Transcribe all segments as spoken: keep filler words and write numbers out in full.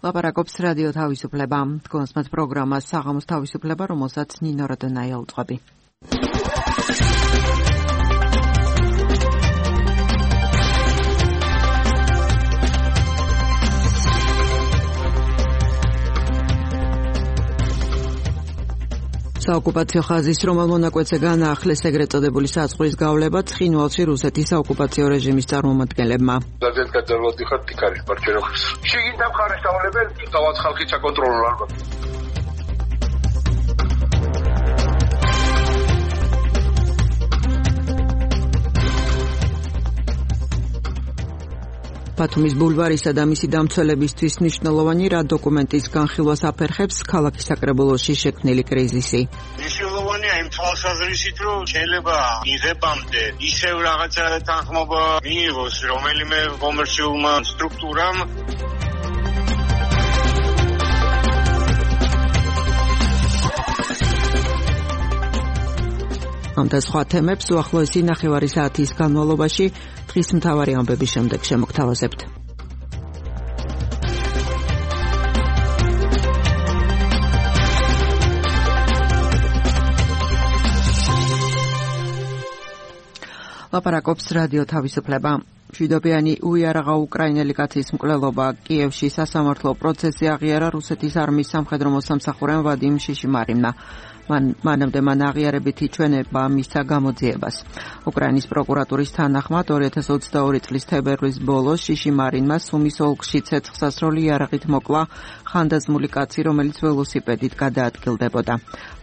ლაპარაკობს რადიო თავისუფლება. თქვენს პროგრამას საღამოს თავისუფლება, რომელსაც ნინო როდონაია უძღვები. საოკუპაციო ხაზის რომელ მონაკვეთზე განაახლეს ეგრეთ წოდებული საზღვრის გავლება ცხინვალში რუსეთის საოკუპაციო რეჟიმის წარმომადგენლებმა. ძალიან გაძარცვად ხარ თიქარის პარჩეროხის. შეგინდა მხარეს დავალებელ თავად ხალხი ჩაკონტროლო ალბათ. ბათუმის ბულვარისა და მისი დამცველებისთვის მნიშვნელოვანი რა დოკუმენტის განხილვას აფერხებს ქალაქის საკრებულოში შექმნილი კრიზისი. მნიშვნელოვანია იმ თვალსაზრისით, რომ შეიძლება მიღებამდე ისევ რაღაცა თანხმობა მიიღოს რომელიმე კომერციულმა სტრუქტურამ. ამ და სხვა თემებს უახლოესი ნახევარი საათის განმავლობაში დღის მთავარი ამბების შემდეგ შემოგთავაზებთ. ლაპარაკობს რადიო თავისუფლება. მშვიდობიანი უიარაღა უკრაინელი კაცის მკვლელობა კიევში სასამართლო პროცესი აღიარა რუსეთის არმიის სამხედრო მოსამსახურემ ვადიმ შიშიმარინმა. მან მანამდე მან აღიარებითი ჩვენება მისცა გამოძიებას. უკრაინის პროკურატურის თანახმად ორი ათას ოცდაორი წლის თებერვლის ბოლოს შიშიმარინმა სუმის ოლქში ცეცხლსასროლი იარაღით მოკლა ხანდაზმული კაცი, რომელიც ველოსიპედით გადაადგილდებოდა.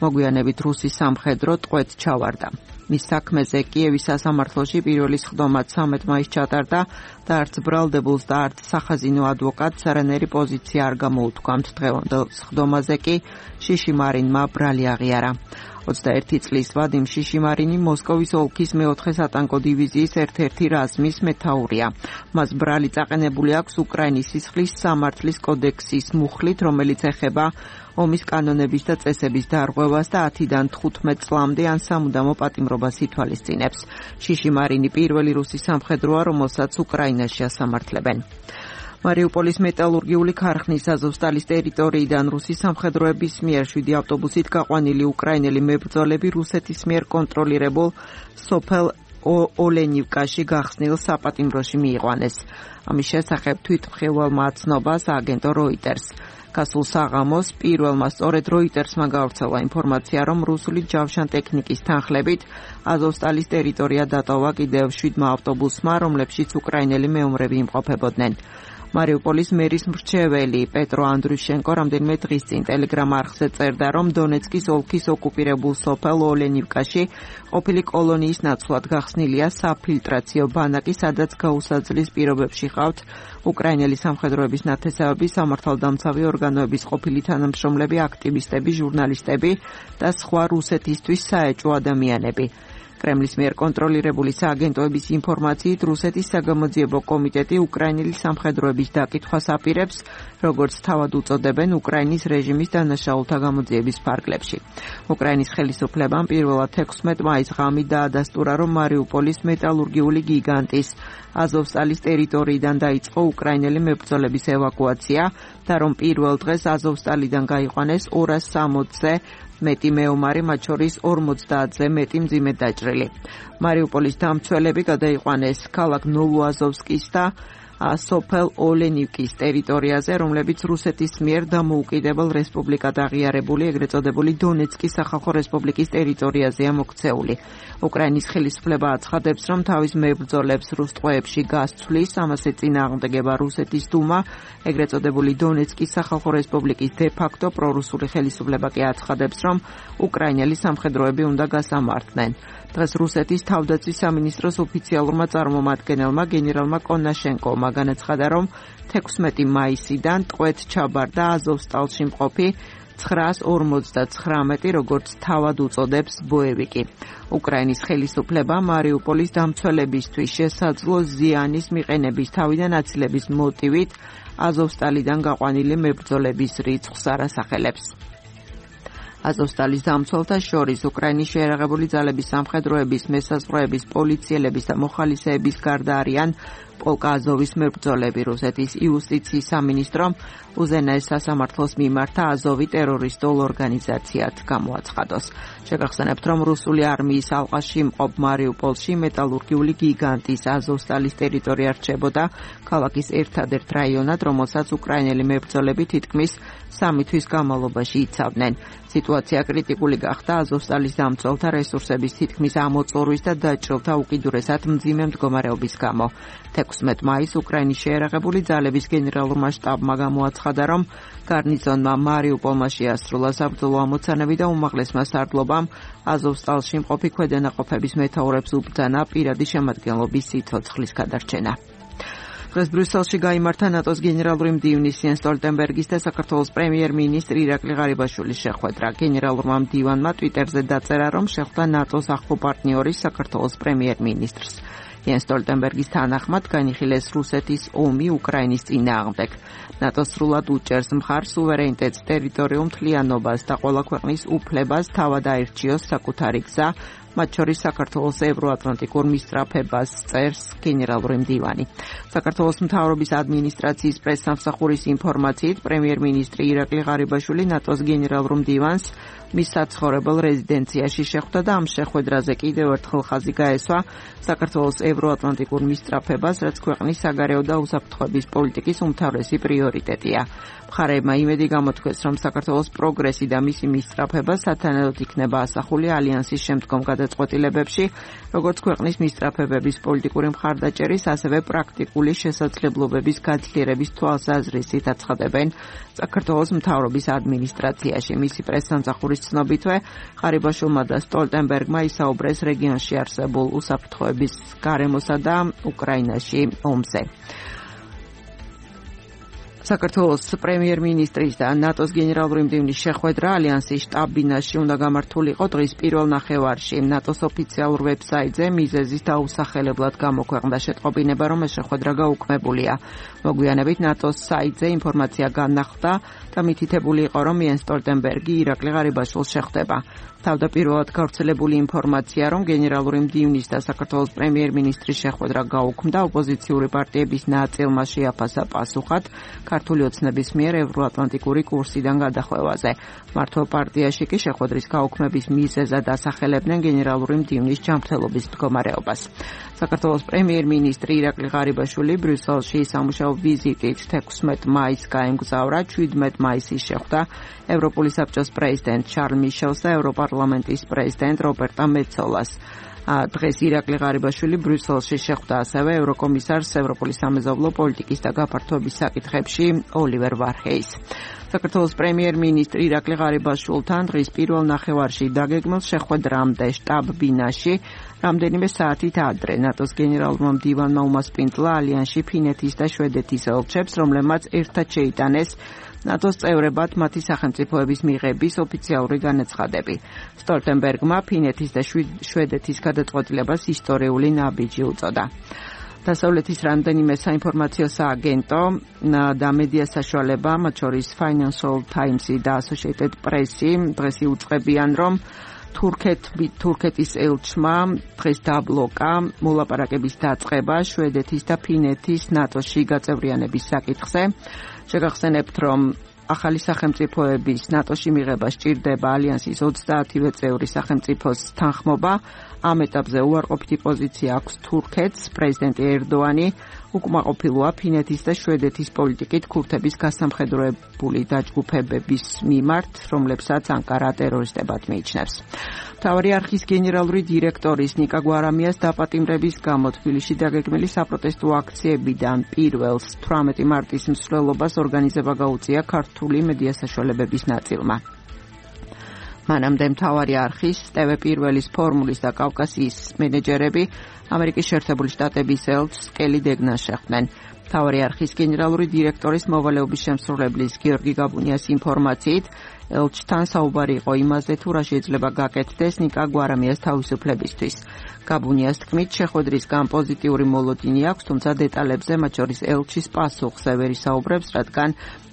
მოგვიანებით რუსის სამხედრო ტყვედ ჩავარდა. მის საქმეზე კიევის სასამართლოში პირველი სხდომა ცამეტ მაისს ჩატარდა და არც ბრალდებულს და არც სახაზინო ადვოკატს არანაირი პოზიცია არ გამოუთქვამთ. დღევანდელ სხდომაზე კი შიშიმარინმა ბრალი აღიარა. ოცდაერთი წლის ვადიმ შიშიმარინი მოსკოვის ოლქის მეოთხე სატანკო დივიზიის ერთ-ერთი რაზმის მეთაურია. მას ბრალი წაყენებული აქვს უკრაინის სისხლის სამართლის კოდექსის მუხლით, რომელიც ეხება ომის კანონების და წესების დარღვევას და ათიდან თხუთმეტ წლამდე ან სამუდამო პატიმრობას ითვალისწინებს. შიშიმარინი პირველი რუსი სამხედროა, რომელსაც უკრაინაში ასამართლებენ. მარიუპოლის მეტალურგიული ქარხნის აზოვსტალის ტერიტორიიდან რუსის სამხედროების მიერ შვიდი ავტობუსით გაყვანილი უკრაინელი მებრძოლები რუსეთის მიერ კონტროლირებულ სოფელ ოლენივკაში გახსნილ საპატიმროში მიიყვანეს. ამის შესახებ თვითმხილველმა აცნობას აგენტო როიტერს. გასულ საღამოს პირველმა სწორედ როიტერსმა გავრცელა ინფორმაცია, რომ რუსული ჯავშან ტექნიკის თანხლებით აზოვსტალის ტერიტორია დატოვა კიდევ შვიდმა ავტობუსმა, რომლებშიც უკრაინელი მეომრები იმყოფებოდნენ. მარიუპოლის მერის მრჩეველი პეტრო ანდრუშენკო რამდენიმე დღის წინ ტელეგრამ არხზე წერდა, რომ დონეცკის ოლქის ოკუპირებულ სოფელ ოლენივკაში ყოფილი კოლონიის ნაცვლად გახსნილია საფილტრაციო ბანაკი, სადაც გაუსაძლის პირობებში ყავთ უკრაინელი სამხედროების ნათესავები, სამართალდამცავი ორგანოების ყოფილი თანამშრომლები, აქტივისტები, ჟურნალისტები და სხვა რუსეთისთვის საეჭვო ადამიანები. კრემლის მიერ კონტროლირებული სააგენტოების ინფორმაციით რუსეთის საგამოძიებო კომიტეტი უკრაინელი სამხედროების დაკითხვას აპირებს, როგორც თავად უწოდებენ უკრაინის რეჟიმის დანაშაულთა გამოძიების ფარგლებში. უკრაინის ხელისუფლებამ პირველად ექვსმეტ მაისს ღამით დაადასტურა, რომ მარიუპოლის მეტალურგიული გიგანტის აზოვსტალის ტერიტორიიდან დაიწყო უკრაინელი მებრძოლების ევაკუაცია და რომ პირველ დღეს აზოვსტალიდან გაიყვანეს ორას სამოცზე მეტი მეომარი, მათ შორის ორმოცდაათზე მეტი მძიმედ დაჭრილი. მარიუპოლის დამცველები გადაიყვანეს ქალაქ ნოვოაზოვსკის და სოფელ ოლენივკის ტერიტორიაზე, რომლებიც რუსეთის მიერ დამოუკიდებელ რესპუბლიკად აღიარებული ეგრეთ წოდებული დონეცკის სახალხო რესპუბლიკის ტერიტორიაზეა მოქცეული. უკრაინის ხელისუფლება აცხადებს, რომ თავის მებრძოლებს რუს ტყვეებში გასცვლის, ამაზე წინააღმდეგება რუსეთის დუმა, ეგრეთ წოდებული დონეცკის სახალხო რესპუბლიკის დე-ფაქტო პრორუსული ხელისუფლება კი აცხადებს, რომ უკრაინელი სამხედროები უნდა გასამართნენ. დღეს რუსეთის თავდაცვის სამინისტროს ოფიციალურმა წარმომადგენელმა გენერალმა კონაშენკოვმა განაცხადა, რომ ექვსმეტი მაისიდან ტყვედ ჩაბარდა აზოვსტალში მყოფი ცხრაას ორმოცდაცხრამეტი, როგორც თავად უწოდებს ბოევიკი. უკრაინის ხელისუფლება მარიუპოლის დამცველებისთვის შესაძლო ზიანის მიყენების თავიდან აცილების მოტივით აზოვსტალიდან გაყვანილი მებრძოლების რიცხვს არ ასახელებს. აზოვსტალის დამცველთა შორის უკრაინის შეიარაღებული ძალების სამხედროების, მესაზღვროების, პოლიციელების და მოხალისეების გარდა არიან პოლკ აზოვის მებრძოლები. რუსეთის იუსტიციის სამინისტრომ უზენაეს სასამართლოს მიმართა აზოვი ტერორისტულ ორგანიზაციად გამოაცხადოს. შეგახსენებთ, რომ რუსული არმიის ალყაში მყოფ მარიუპოლში მეტალურგიული გიგანტის აზოვსტალის ტერიტორია რჩებოდა ქალაქის ერთადერთ რაიონად, რომელსაც უკრაინელი მებრძოლები თითქმის სამი თვის განმავლობაში იცავდნენ. სიტუაცია კრიტიკული გახდა აზოვსტალის დამცველთა რესურსების თითქმის ამოწურვის და დაჭრილთა უკიდურესად მძიმე მდგომარეობის გამო. თექვსმეტ მაისს უკრაინის შეიარაღებული ძალების გენერალურმა შტაბმა გამოაცხადა, რომ გარნიზონმა მარიუპოლმა შეასრულა საბრძოლო ამოცანები და უმაღლესმა სარდლობამ აზოვსტალში მყოფი ქვედანაყოფების მეთაურებს უბრძანა პირადი შემადგენლობის სიცოცხლის გადარჩენა. დღეს ბრიუსელში გაიმართა ნატოს გენერალური მდივნის იენს სტოლტენბერგის და საქართველოს პრემიერ-მინისტრი ირაკლი ღარიბაშვილის შეხვედრა. გენერალურმა მდივანმა ტვიტერზე დაწერა, რომ შეხვდა ნატოს ახლო პარტნიორის საქართველოს პრემიერ-მინისტრს. იენს სტოლტენბერგის თანახმად განიხილეს რუსეთის ომი უკრაინის წინააღმდეგ. ნატო სრულად უჭერს მხარს სუვერენიტეტს, ტერიტორიულ მთლიანობას და ყველა ქვეყნის უფლებას თავად აირჩიოს საკუთარი გზა, მათ შორის საქართველოს ევროატლანტიკურ მისწრაფებას, წერს გენერალური მდივანი. საქართველოს მთავრობის ადმინისტრაციის პრესსამსახურის ინფორმაციით, პრემიერ-მინისტრი ირაკლი ღარიბაშვილი ნატოს გენერალურ მდივანს მის საცხოვრებელ რეზიდენციაში შეხვდა და ამ შეხვედრაზე კიდევ ერთხელ ხაზი გაესვა საქართველოს ევროატლანტიკურ მისწრაფებას, რაც ქვეყნის საგარეო და უსაფრთხოების პოლიტიკის უმთავრესი პრიორიტეტია. მხარეებმა იმედი გამოთქვეს, რომ საქართველოს პროგრესი და მისი მისწრაფება სათანადოდ იქნება ასახული ალიანსის შემდგომ გადაწყვეტილებებში, როგორც ქვეყნის მისწრაფებების პოლიტიკური მხარდაჭერის, ასევე პრაქტიკული შესაძლებლობების გაძლიერების თვალსაზრისით აცხადებენ საქართველოს მთავრობის ადმინისტრაციაში. მისი პრესსამსახურის ცნობითვე, ღარიბაშვილმა და სტოლტენბერგმა ისაუბრეს რეგიონში არსებულ უსაფრთხოების გარემოსა და უკრაინაში ომზე. საქართველოს პრემიერ-მინისტრის და ნატოს გენერალური მდივნის შეხვედრა ალიანსის შტაბ-ბინაში უნდა გამართულიყო დღის პირველ ნახევარში. ნატოს ოფიციალურ ვებსაიტზე მიზეზის დაუსახელებლად გამოქვეყნდა შეტყობინება, რომ ეს შეხვედრა გაუქმებულია. მოგვიანებით ნატოს საიტზე ინფორმაცია განახლდა და მითითებული იყო, რომ იენს სტოლტენბერგი ირაკლი ღარიბაშვილს შეხვდება. თავდაპირველად გავრცელებული ინფორმაცია, რომ გენერალური მდივნის და საქართველოს პრემიერ-მინისტრის შეხვედრა გაუქმდა, ოპოზიციური პარტიების ნაწილმა შეაფასა პასუხად ქართული ოცნების მიერ ევროატლანტიკური კურსიდან გადახვევაზე. მართლ პარტიაში კი შეხვედრის გაუქმების მიზეზად ასახელებდნენ გენერალური მდივნის ჯანმრთელობის მდგომარეობას. საქართველოს პრემიერ-მინისტრი ირაკლი ღარიბაშვილი ბრიუსელში სამუშაო ვიზიტით თექვსმეტ მაისს გაემგზავრა, შვიდმეტ მაისს შეხვდა ევროპული საბჭოს პრეზიდენტ შარლ მიშელს და ევროპარლამენტის პრეზიდენტ რობერტა მეცოლას. დღეს ირაკლი ღარიბაშვილი ბრიუსელში შეხვდა ასევე ევროკომისარს ევროპული სამეზობლო პოლიტიკის და გაფართოების საკითხებში ოლივერ ვარჰეის. საქართველოს პრემიერ-მინისტრი ირაკლი ღარიბაშვილთან დღის პირველ ნახევარში დაგეგმილ შეხვედრამდე შტაბ-ბინაში რამდენიმე საათით ადრე ნატოს გენერალურმა მდივანმა უმასპინძლა ალიანსში ფინეთის და შვედეთის ელჩებს, რომლებმაც ერთად შეიტანეს ნატოს წევრებად მათი სახელმწიფოების მიღების ოფიციალური განაცხადები. სტოლტენბერგმა ფინეთის და შვედეთის გადაწყვეტილებას ისტორიული ნაბიჯი უწოდა. დასავლეთის რამდენიმე საინფორმაციო სააგენტო და მედია საშუალება, მათ შორის Financial Times-ი და Associated Press-ი დღეს იუწყებიან, რომ თურქეთის ელჩმა დღეს დაბლოკა მოლაპარაკების დაწყება შვედეთის და ფინეთის ნატოში გაწევრიანების საკითხზე. შეგახსენებთ, რომ ახალი სახელმწიფოების ნატოში მიღება სჭირდება ალიანსის ოცდაათივე წევრი სახელმწიფოს თანხმობა. ამ ეტაპზე უარყოფითი პოზიცია აქვს თურქეთს. პრეზიდენტი ერდოანი უკმაყოფილოა ფინეთის და შვედეთის პოლიტიკით ქურთების გასამხედროებული დაჯგუფებების მიმართ, რომლებსაც ანკარა ტერორისტებად მიიჩნევს. მთავარი არქის გენერალური დირექტორის ნიკა გვარამიას დაპატიმრების გამო თბილისში დაგეგმილი საპროტესტო აქციებიდან პირველს თვრამეტი მარტის მსვლელობას ორგანიზება გაუწია ქართული მედია საშუალებების ნაწილმა. მანამდე მთავარი არქის, ტევ პირველის ფორმულის და კავკასიის მენეჯერები ამერიკის შეერთებული შტატების ელჩს კელი დეგნას შეხვდნენ. მთავარი არქის გენერალური დირექტორის მოვალეობის შემსრულებლის გიორგი გაბუნიას ინფორმაციით, ელჩთან საუბარი იყო იმაზე, თუ რა შეიძლება გაკეთდეს ნიკა გვარამიას თავისუფლებისთვის. გაბუნიას თქმით, შეხვედრისგან პოზიტიური მოლოდინი აქვს, თუმცა დეტალებზე, მათ შორის ელჩის პასუხზე ვერ ისაუბრებს, რადგან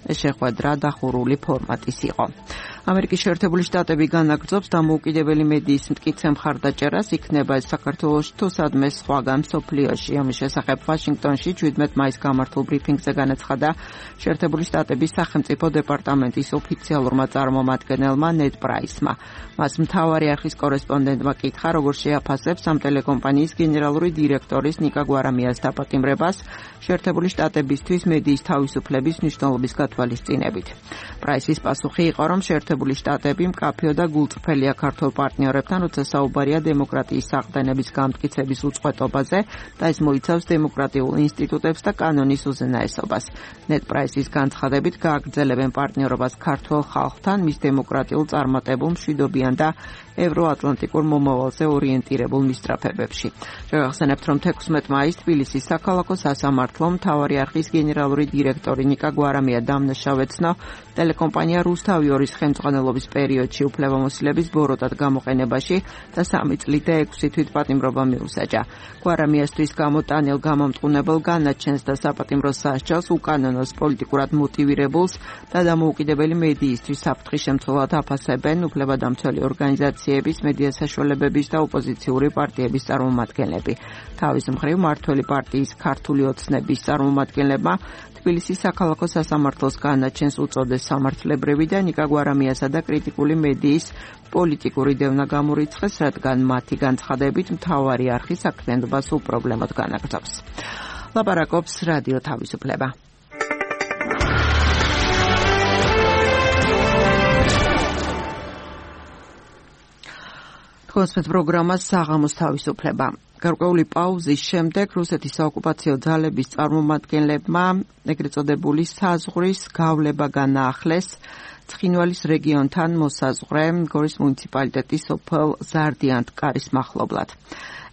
ეს შეხვედრა დახურული ფორმატის იყო. ამერიკის შეერთებული შტატები განაგრძობს დამოუკიდებელი მედიის მტკიცე მხარდაჭერას, იქნება ეს საქართველოში თუ სადმე სხვაგან მსოფლიოში. ამის შესახებ ვაშინგტონში შვიდმეტ მაისს გამართულ ბრიფინგზე განაცხადა შეერთებული შტატების სახელმწიფო დეპარტამენტის ოფიციალურმა წარმომადგენელმა ნედ პრაისმა. მას მთავარი არხის კორესპონდენტმა კითხა, როგორ შეაფასებს ამ ტელეკომპანიის გენერალური დირექტორის ნიკა გვარამიას დაპატიმრებას შეერთებული შტატებისთვის მედიის თავისუფლების მნიშვნელობის გათვალისწინებით. პრაისის პასუხი იყო, რომ შეერთებული შტატები მკაფიო და გულწრფელია ქართულ პარტნიორებთან, როცა საუბარია დემოკრატიის საყრდენების გამტკიცების უწყვეტობაზე და ეს მოიცავს დემოკრატიულ ინსტიტუტებს და კანონის უზენაესობას. ნედ პრაისის განცხადებით გააგრძელებენ პარტნიორობას ქართულ ხალხთან მის დემოკრატიულ წარმატებულ მშვიდობიან და ევროატლანტიკურ მომავალზე ორიენტირებულ მისწრაფებებში. შევახსენებთ, რომ თექვსმეტ მაისს თბილისის საქალაქო სასამართლომ მთავარი არხის გენერალური დირექტორი ნიკა გვარამია დამნაშავეცნო ტელეკომპანია რუსთავი ორის ხელმძღვანელობის პერიოდში უფლებამოსილების ბოროტად გამოყენებაში და სამი წლით და ექვსი თვით პატიმრობა მიუსაჯა. გვარამიასთვის გამოტანილ გამომტყუნებელ განაჩენს და საპატიმრო სასჯელს უკანონოს პოლიტიკურად მოტივირებულს და დამოუკიდებელი მედიისთვის საფრთხის შემცველად აფასებენ უფლებადამცველი ორგანიზაციების, მედია საშუალებების და ოპოზიციური პარტიების წარმომადგენლები. თავის მხრივ მართველი პარტიის ქართული ოცნების წარმომადგენლებმა თბილისის საქალაქო სასამართლოს განაჩენს უწოდეს სამართლებრივი და ნიკა გვარამიასა და კრიტიკული მედიის პოლიტიკური დევნა გამორიცხეს, რადგან მათი განცხადებით მთავარი არხი საქმიანობას უპრობლემოდ განაგრძობს. ლაპარაკობს რადიო თავისუფლება. თქოსმეთ პროგრამას საღამოს თავისუფლება. გარკვეული პაუზის შემდეგ რუსეთის საოკუპაციო ძალების წარმომადგენლებმა ეგრეთ წოდებული საზღვრის გავლება განაახლეს ცხინვალის რეგიონთან მოსაზღვრე გორის მუნიციპალიტეტის სოფელ ზარდიანტკარის მახლობლად.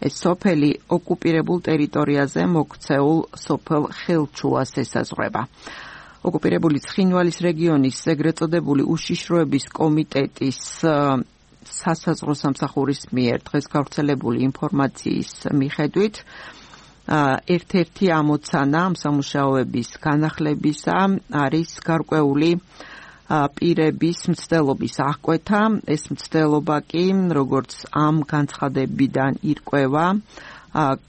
ეს სოფელი ოკუპირებულ ტერიტორიაზე მოქცეულ სოფელ ხელჩუას ესაზღვრება. ოკუპირებული ცხინვალის რეგიონის ეგრეთ წოდებული უშიშროების კომიტეტის სასაზღვრო სამსახურის მიერ დღეს გავრცელებული ინფორმაციის მიხედვით ერთ-ერთი ამოცანა ამ სამუშაოების განახლებისა არის გარკვეული პირების მცდელობის აღკვეთა. ეს მცდელობა კი, როგორც ამ განცხადებიდან ირკვევა,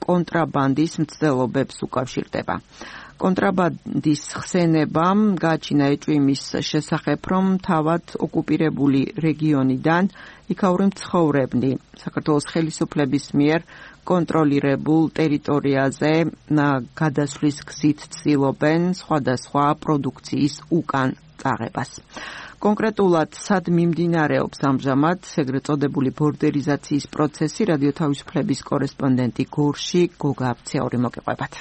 კონტრაბანდის მცდელობებს უკავშირდება. კონტრაბანდის ხსენებამ გააჩინა ეჭვმის შესახებ, რომ თავად ოკუპირებული რეგიონიდან იქაური მცხოვრებნი საქართველოს ხელისუფლების მიერ კონტროლირებულ ტერიტორიაზე გადასვლის გზით ცდილობენ სხვადასხვა პროდუქციის უკან წაღებას. კონკრეტულად სად მიმდინარეობს ამჟამად ეგრეთ წოდებული ბორდერიზაციის პროცესი, რადიო თავისუფლების კორესპონდენტი გორში გოგა აფციური მოგიყვებათ.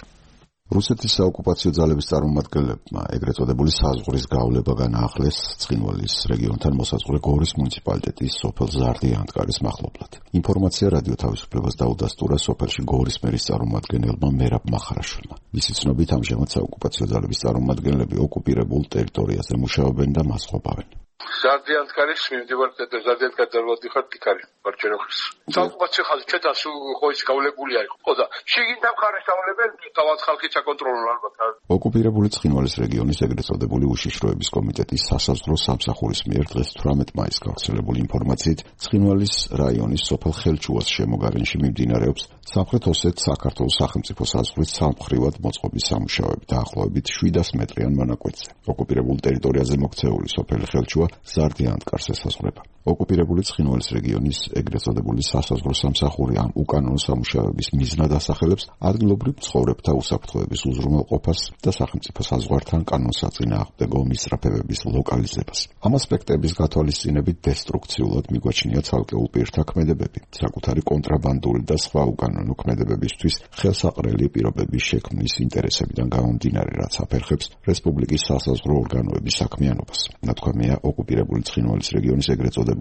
რუსეთის საოკუპაციო ძალების წარმომადგენლებმა ეგრეთ წოდებული საზღვრის გავლება განაახლეს ცხინვალის რეგიონთან მოსაზღვრე გორის მუნიციპალიტეტის სოფელ ზარდიანტკარის მახლობლად. ინფორმაცია რადიო თავისუფლებას დაუდასტურა სოფელში გორის მერის წარმომადგენელმა მერაბ მახარაშვილმა. მისი ცნობით, ამჟამად საოკუპაციო ძალების წარმომადგენლები ოკუპირებულ ტერიტორიაზე მუშაობენ და მას ყოფავენ. ზარდიანტკარის მიმდევარ და ზარდიანტკარის დარვადიხარ დიკარი მარჩენოხის. საოკუპაციო ხაზი ჩეთას ხოის გავლებული არის. ხო და შიგნით მხარეს ავლებენ თავად ხალხი ჩაკონტროლონ ალბათ. ოკუპირებული ცხინვალის რეგიონის ეგრეთ წოდებული უშიშროების კომიტეტის სასაზღვრო სამსახურის მიერ დღეს თვრამეტ მაისს გავრცელებული ინფორმაციით ცხინვალის რაიონის სოფელ ხელჩუას შემოგარენში მიმდინარეობს სამხრეთ ოსეთ საქართველოს სახელმწიფო საზღვრის სამხრივად მოწყობის სამუშაოები დაახლოებით შვიდას მეტრიან მონაკვეთზე. ოკუპირებულ ტერიტორიაზე მოქცეული სოფელი ხელჩუა ზარდიანტკარს ესაზღვრება. ოკუპირებული ცხინვალის რეგიონის ეგრეთ წოდებული სასაზღვრო სამსახური ამ უკანონო სამუშაოების მიზნად ასახელებს ადგილობრივ მცხოვრებთა უსაფრთხოების უზრუნველყოფას და სახელმწიფო საზღვართან კანონსაწინააღმდეგო მისწრაფებების ლოკალიზებას. ამ ასპექტების გათვალისწინებით დესტრუქციულად მიგვაჩნია ცალკეულ პირთა ქმედებები, საკუთარი კონტრაბანდული და სხვა უკანონო ქმედებებისთვის ხელსაყრელი პირობების შექმნის ინტერესებიდან გამომდინარე, რაც აფერხებს რესპუბლიკის სასაზღვრო ორგანოების საქმიანობას. ნათქვამია ოკუპირებული ცხინვალის რეგიონის ეგრეთ წოდებული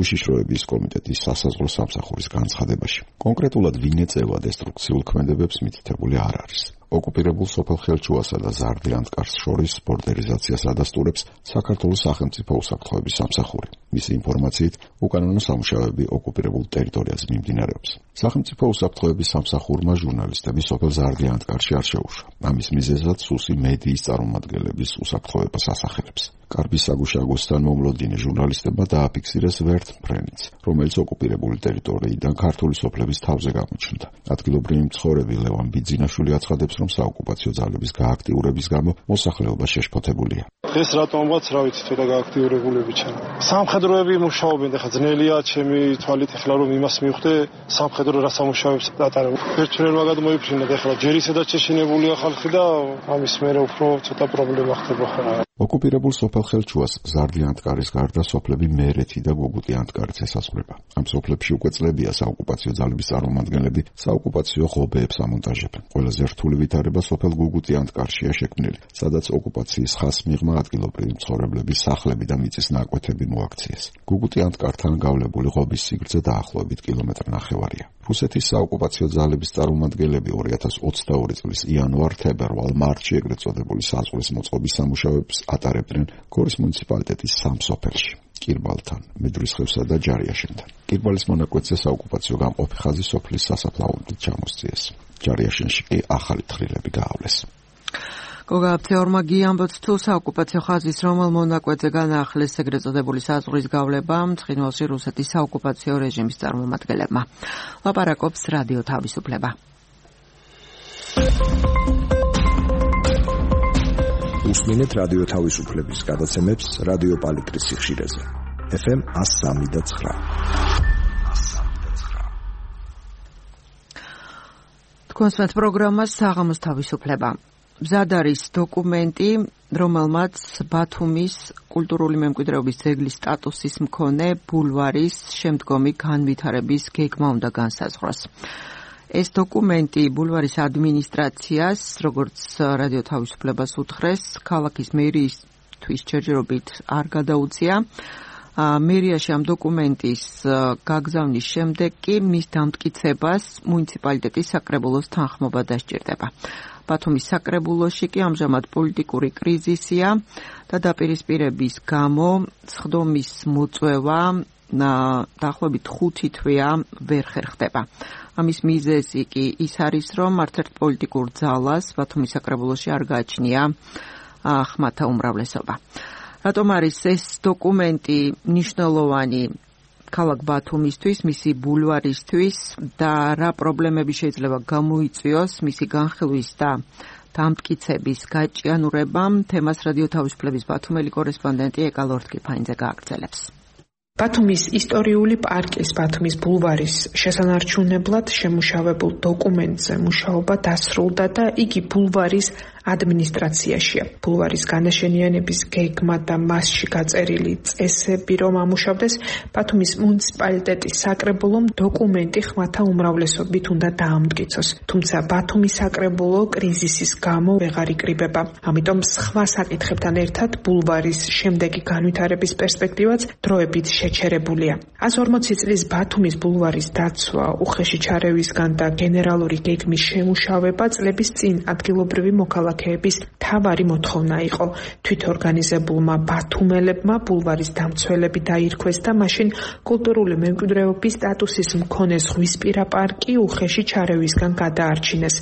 უშიშროების კომიტეტის სასაზღვრო სამსახურის განცხადებაში. კონკრეტულად ვინ ეწევა დესტრუქციულ ქმედებებს მითითებული არ არის. ოკუპირებულ სოფელ ხელჩუასა და ზარდიანტკარს შორის ბორდერიზაციას ადასტურებს საქართველოს სახელმწიფო უსაფრთხოების სამსახური. მისი ინფორმაციით, უკანონო სამუშაოები ოკუპირებულ ტერიტორიაზე მიმდინარეობს. სახელმწიფო უსაფრთხოების სამსახურმა ჟურნალისტები სოფელ ზარდიანტკარში არ შეუშვა. ამის მიზეზად სუსი მედიის წარმომადგენლების უსაფრთხოებას ასახელებს. კარბის საგუშაგოსთან მომლოდინე ჟურნალისტებმა დააფიქსირეს ვერტმფრენიც, რომელიც ოკუპირებული ტერიტორიიდან ქართული სოფლების თავზე გამოჩნდა. ადგილობრივი მცხოვრები ლევან ბიძინაშვილი აცხადებს, რომ საოკუპაციო ძალების გააქტიურების გამო მოსახლეობა შეშფოთებულია. დღეს რატომღაც რა ვიცი თვითონ გააქტიურებულები ჩანა. სამხედროები მუშაობენ, ეხლა ძნელია ჩემი თვალით ეხლა რომ იმას მივხვდე, სამხედრო რა სამუშაოებს ატარებენ. ერთგვარად გადმოიფრინეთ, ეხლა ჯერ ისედაც შეშინებულია ხალხი და ამის მერე უფრო ცოტა პრობლემა ხდება ხოლმე. ოკუპირებულ სოფელ ხელჩუას ზარდიანტკარის გარდა სოფლები მერეთი და გუგუტიანტკარიც ესაზღვრება. ამ სოფლებში უკვე წლებია საოკუპაციო ძალების წარმომადგენლები საოკუპაციო ღობეებს ამონტაჟებენ. ყველაზე რთული ვითარება სოფელ გუგუტიანტკარშია შექმნილი, სადაც ოკუპაციის ხაზს მიღმა ადგილობრივი მცხოვრებლების სახლები და მიწის ნაკვეთები მოაქციეს. გუგუტიანტკართან გავლებული ღობის სიგრძე დაახლოებით კილომეტრ ნახევარია. რუსეთის საოკუპაციო ძალების წარმომადგენლები ორი ათას ოცდაორი წლის იანვარ-თებერვალ მარტში ეგრეთ წოდებული საზღვრის მოწყობის სამუშაოებს ატარებდნენ გორის მუნიციპალიტეტის სამ სოფელში. კირბალთან, მედრისხევსა და ჯარიაშენთან. კირბალის მონაკვეთზე საოკუპაციო გამყოფი ხაზი სოფლის სასაფლაოდით ჩამოსწიეს. ჯარიაშენში კი ახალი თხრილები გაავლეს. გოგა აფცეორმა გიამბობს თუ საოკუპაციო ხაზის რომელ მონაკვეთზე განაახლეს ეგრეთ წოდებული საზღვრის გავლება ცხინვალში რუსეთის საოკუპაციო რეჟიმის წარმომადგენლებმა. ლაპარაკობს რადიო თავისუფლება. უსმინეთ რადიო თავისუფლების გადაცემებს რადიო პალიტრის სიხშირეზე. ეფ ემ one oh three point nine. თქვენს პროგრამას საღამოს თავისუფლება. მზად არის დოკუმენტი, რომელმაც ბათუმის კულტურული მემკვიდრეობის ძეგლის სტატუსის მქონე ბულვარის შემდგომი განვითარების გეგმა უნდა განსაზღვროს. ეს დოკუმენტი ბულვარის ადმინისტრაციას, როგორც რადიო თავისუფლებას უთხრეს, ქალაქის მერიისთვის ჯერჯერობით არ გადაუწია. მერიაში ამ დოკუმენტის გაგზავნის შემდეგ კი მის დამტკიცებას მუნიციპალიტეტის საკრებულოს თანხმობა დასჭირდება. ბათუმის საკრებულოში კი ამჟამად პოლიტიკური კრიზისია და დაპირისპირების გამო სხდომის მოწვევა დაახლოებით ხუთი თვეა ვერ ხერხდება. ამის მიზეზი კი ის არის, რომ არც ერთ პოლიტიკურ ძალას ბათუმის საკრებულოში არ გააჩნია ხმათა უმრავლესობა. რატომ არის ეს დოკუმენტი მნიშვნელოვანი ქალაქ ბათუმისთვის, მისი ბულვარისთვის და რა პრობლემები შეიძლება გამოიწვიოს მისი განხილვის და დამტკიცების გაჭიანურებამ, თემას რადიო თავისუფლების ბათუმელი კორესპონდენტი ეკა ლორთქიფაინძე გააგრძელებს. ბათუმის ისტორიული პარკის ბათუმის ბულვარის შესანარჩუნებლად შემუშავებულ დოკუმენტზე მუშაობა დასრულდა და იგი ბულვარის ადმინისტრაციაშია. ბულვარის განაშენიანების გეგმა და მასში გაწერილი წესები რომ ამუშავდეს, ბათუმის მუნიციპალიტეტის საკრებულომ დოკუმენტი ხმათა უმრავლესობით უნდა დაამტკიცოს. თუმცა ბათუმის საკრებულო კრიზისის გამო ვეღარ იკრიბება. ამიტომ სხვა საკითხებთან ერთად ბულვარის შემდეგი განვითარების პერსპექტივაც დროებით შეჩერებულია. ას ორმოცი წლის ბათუმის ბულვარის დაცვა, უხეში ჩარევისგან და გენერალური გეგმის შემუშავება წლების წინ ადგილობრივი მოქალაქეების თავარი მოთხოვნა იყო. თვითორგანიზებულმა ბათუმელებმა ბულვარის დამცველები დაირქვეს და მაშინ კულტურული მემკვიდრეობის სტატუსის მქონე ზღვისპირა პარკი უხეში ჩარევისგან გადაარჩინეს.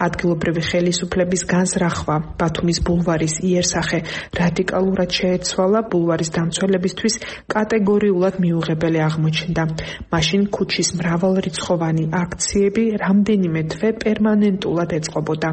ადგილობრივი ხელისუფლების განზრახვა ბათუმის ბულვარის იერსახე რადიკალურად შეეცვალა, ბულვარის დამცველებისთვის კატეგორიულად მიუღებელი აღმოჩნდა. მაშინ ქუჩის მრავალრიცხოვანი აქციები რამდენიმე თვე პერმანენტულად ეწყობოდა.